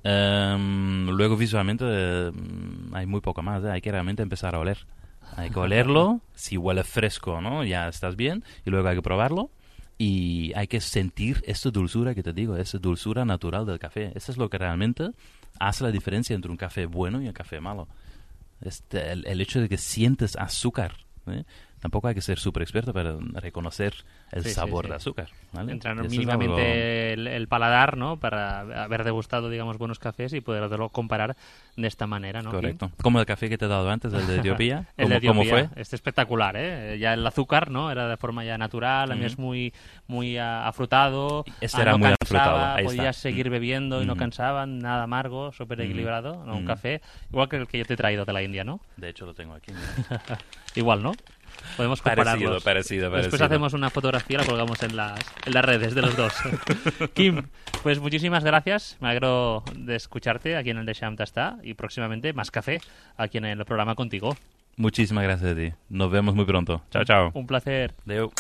Um, luego visualmente um, hay muy poco más, ¿eh? Hay que realmente empezar a oler. Hay que olerlo, si huele fresco, ¿no? Ya estás bien, y luego hay que probarlo y hay que sentir esta dulzura que te digo, esa dulzura natural del café. Eso es lo que realmente hace la diferencia entre un café bueno y un café malo. Este, el, el hecho de que sientes azúcar, ¿eh? Tampoco hay que ser súper experto para reconocer el sí, sabor sí, sí. de azúcar, ¿vale? Entrar Eso mínimamente algo... el, el paladar, ¿no? Para haber degustado, digamos, buenos cafés y poderlo comparar de esta manera, ¿no? Correcto. Como el café que te he dado antes, el de Etiopía. el de ¿Cómo, Etiopía, ¿Cómo fue? Es espectacular, ¿eh? Ya el azúcar, ¿no? Era de forma ya natural, a mí Mm. es muy muy uh, afrutado. Este ah, era no muy cansaba, afrutado, ahí podías está. seguir Mm. bebiendo y no Mm. cansaban, nada amargo, súper equilibrado, Mm. ¿no? Un Mm. café, igual que el que yo te he traído de la India, ¿no? De hecho, lo tengo aquí. Igual, ¿no? Podemos compararlos. Parecido, parecido, parecido. Después hacemos una fotografía y la colgamos en las, en las redes de los dos. Kim, pues muchísimas gracias. Me alegro de escucharte aquí en el Deixa'm Tastar y próximamente más café aquí en el programa contigo. Muchísimas gracias a ti. Nos vemos muy pronto. Chao, chao. Un placer. Adéu.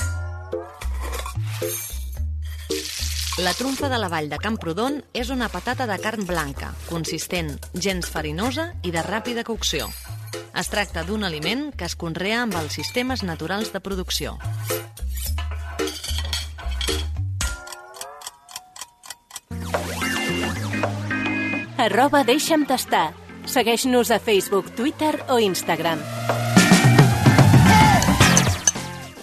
La trumfa de la vall de Camprodon és una patata de carn blanca, consistent, gens farinosa i de ràpida cocció. Es tracta d'un aliment que es conrea amb els sistemes naturals de producció. Arroba Deixa'm Tastar. Segueix-nos a Facebook, Twitter o Instagram.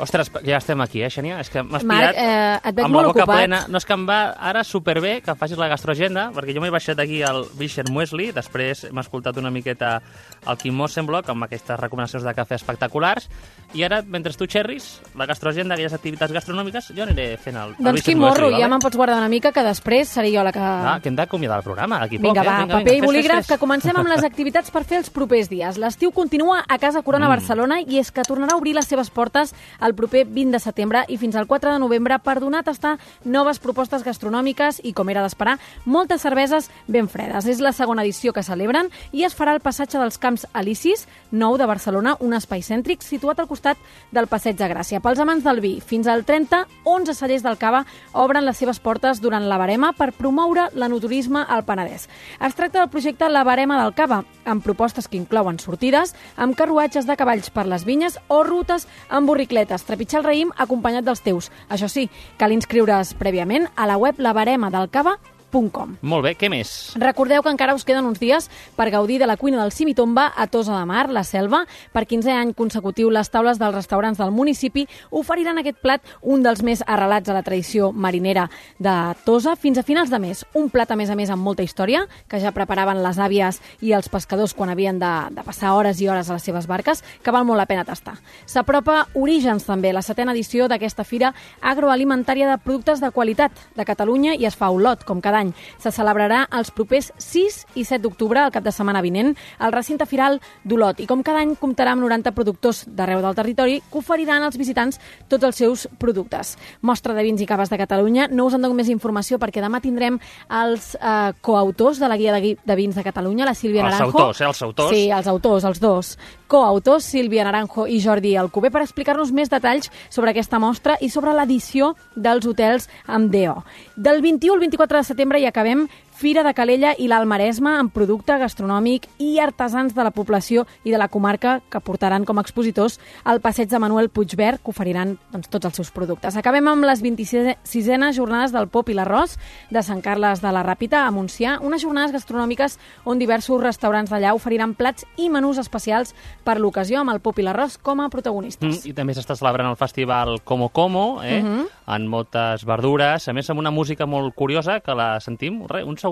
Ostres, ja estem aquí, eh, Xènia? És que m'has Marc, pillat eh, et veig amb molt la boca ocupat. plena. No, és que em va ara superbé que facis la gastroagenda, perquè jo m'he baixat aquí al Vischer Muesli, després m'he escoltat una miqueta el Kim Mossenblock amb aquestes recomanacions de cafè espectaculars, i ara, mentre tu xerris, la gastroagenda, aquelles activitats gastronòmiques, jo aniré fent el, el Doncs Vischer Quim Morro, Muesli, ja vale? me'n pots guardar una mica, que després seré jo la que... Ah, que hem d'acomiadar el programa, d'aquí poc. Vinga, eh? va, vinga, paper vinga, i bolígraf, fes, fes, fes. que comencem amb les activitats per fer els propers dies. L'estiu continua a Casa Corona Mm. Barcelona i és que tornarà a obrir les seves portes el proper vint de setembre i fins al quatre de novembre per donar a tastar noves propostes gastronòmiques i, com era d'esperar, moltes cerveses ben fredes. És la segona edició que celebren i es farà al passatge dels Camps Elisis, nou de Barcelona, un espai cèntric situat al costat del Passeig de Gràcia. Pels amants del vi, fins al trenta, onze cellers del Cava obren les seves portes durant la Barema per promoure l'enoturisme al Penedès. Es tracta del projecte La Barema del Cava, amb propostes que inclouen sortides, amb carruatges de cavalls per les vinyes o rutes amb borricletes, trepitjar el raïm acompanyat dels teus. Això sí, cal inscriure's prèviament a la web labaremadelcava punt com. Molt bé, què més? Recordeu que encara us queden uns dies per gaudir de la cuina del Simitomba a Tossa de Mar, la Selva. Per quinzè any consecutiu, les taules dels restaurants del municipi oferiran aquest plat, un dels més arrelats a la tradició marinera de Tossa, fins a finals de mes. Un plat, a més a més, amb molta història, que ja preparaven les àvies i els pescadors quan havien de, de passar hores i hores a les seves barques, que val molt la pena tastar. S'apropa Orígens, també, la setena edició d'aquesta fira agroalimentària de productes de qualitat de Catalunya, i es fa a Olot, com cada any. Se celebrarà els propers sis i set d'octubre, el cap de setmana vinent, al recinte firal d'Olot. I com cada any comptarà amb noranta productors d'arreu del territori que oferiran als visitants tots els seus productes. Mostra de vins i caves de Catalunya. No us en dono més informació perquè demà tindrem els eh, coautors de la guia de, de vins de Catalunya, la Sílvia Els Naranjo. autors, eh? Els autors. Sí, els autors, els dos. Coautors, Sílvia Naranjo i Jordi Alcover, per explicar-nos més detalls sobre aquesta mostra i sobre l'edició dels hotels amb D O. Del vint-i-u al vint-i-quatre de setembre i acabem Fira de Calella i l'Alt Maresme amb producte gastronòmic i artesans de la població i de la comarca que portaran com a expositors al passeig de Manuel Puigverd, que oferiran doncs, tots els seus productes. Acabem amb les vint-i-sisenes jornades del pop i l'arròs de Sant Carles de la Ràpita a Montsià, unes jornades gastronòmiques on diversos restaurants d'allà oferiran plats i menús especials per l'ocasió amb el pop i l'arròs com a protagonistes. Mm, I també s'està celebrant el festival Como Como, eh? Mhm. amb moltes verdures, a més amb una música molt curiosa que la sentim. Re, un segundet.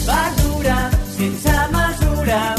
Verdura sense mesura.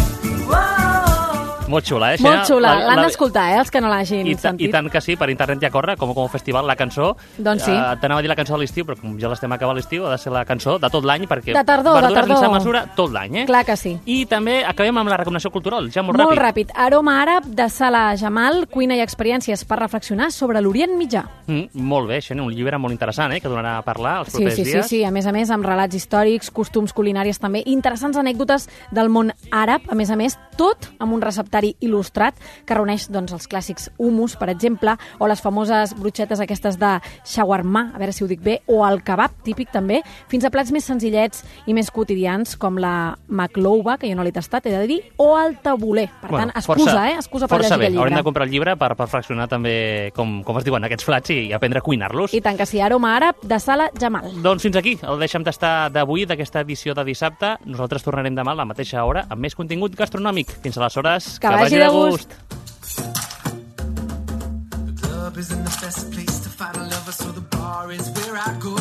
Molt xula, eh? Molt xula, La- l'han la- d'escoltar, eh, els que no l'hagin I, ta, sentit. I tant que sí, per internet ja corre, com com festival, la cançó. Doncs sí. Eh, T'anava a dir la cançó de l'estiu, però com ja l'estem acabant l'estiu, ha de ser la cançó de tot l'any, perquè De tardor, de verdures tardor. sense mesura tot l'any, eh? Clar que sí. I també acabem amb la recomanació cultural, ja molt, Molt ràpid. ràpid. Aroma àrab de Salah Jamal, cuina i experiències per reflexionar sobre l'Orient Mitjà. Mm, molt bé, això, un llibre molt interessant, eh? que donarà a parlar els Sí, propers sí, sí, dies. sí, a més a més, amb relats històrics, costums culinaris també, interessants anècdotes del món àrab, a més a més, tot amb un receptari il·lustrat que reuneix doncs, els clàssics humus, per exemple, o les famoses brutxetes aquestes de shawarma, a veure si ho dic bé, o el kebab, típic també, fins a plats més senzillets i més quotidians, com la maklouba, que jo no l'he tastat, he de dir, o el tabuler. Per tant, excusa, força, eh? Excusa per força llegir bé. el llibre. Haurem de comprar el llibre per, per reflexionar també com, com es diuen aquests plats i aprendre a cuinar-los. I tant que sí, aroma àrab de Salah Jamal. Doncs fins aquí el Deixa'm tastar d'avui, d'aquesta edició de dissabte. Nosaltres tornarem demà a la mateixa hora amb més contingut gastronòmic. Fins aleshores, Que vagi de gust. Club isn't the best place to find a lover, so the bar is where I go.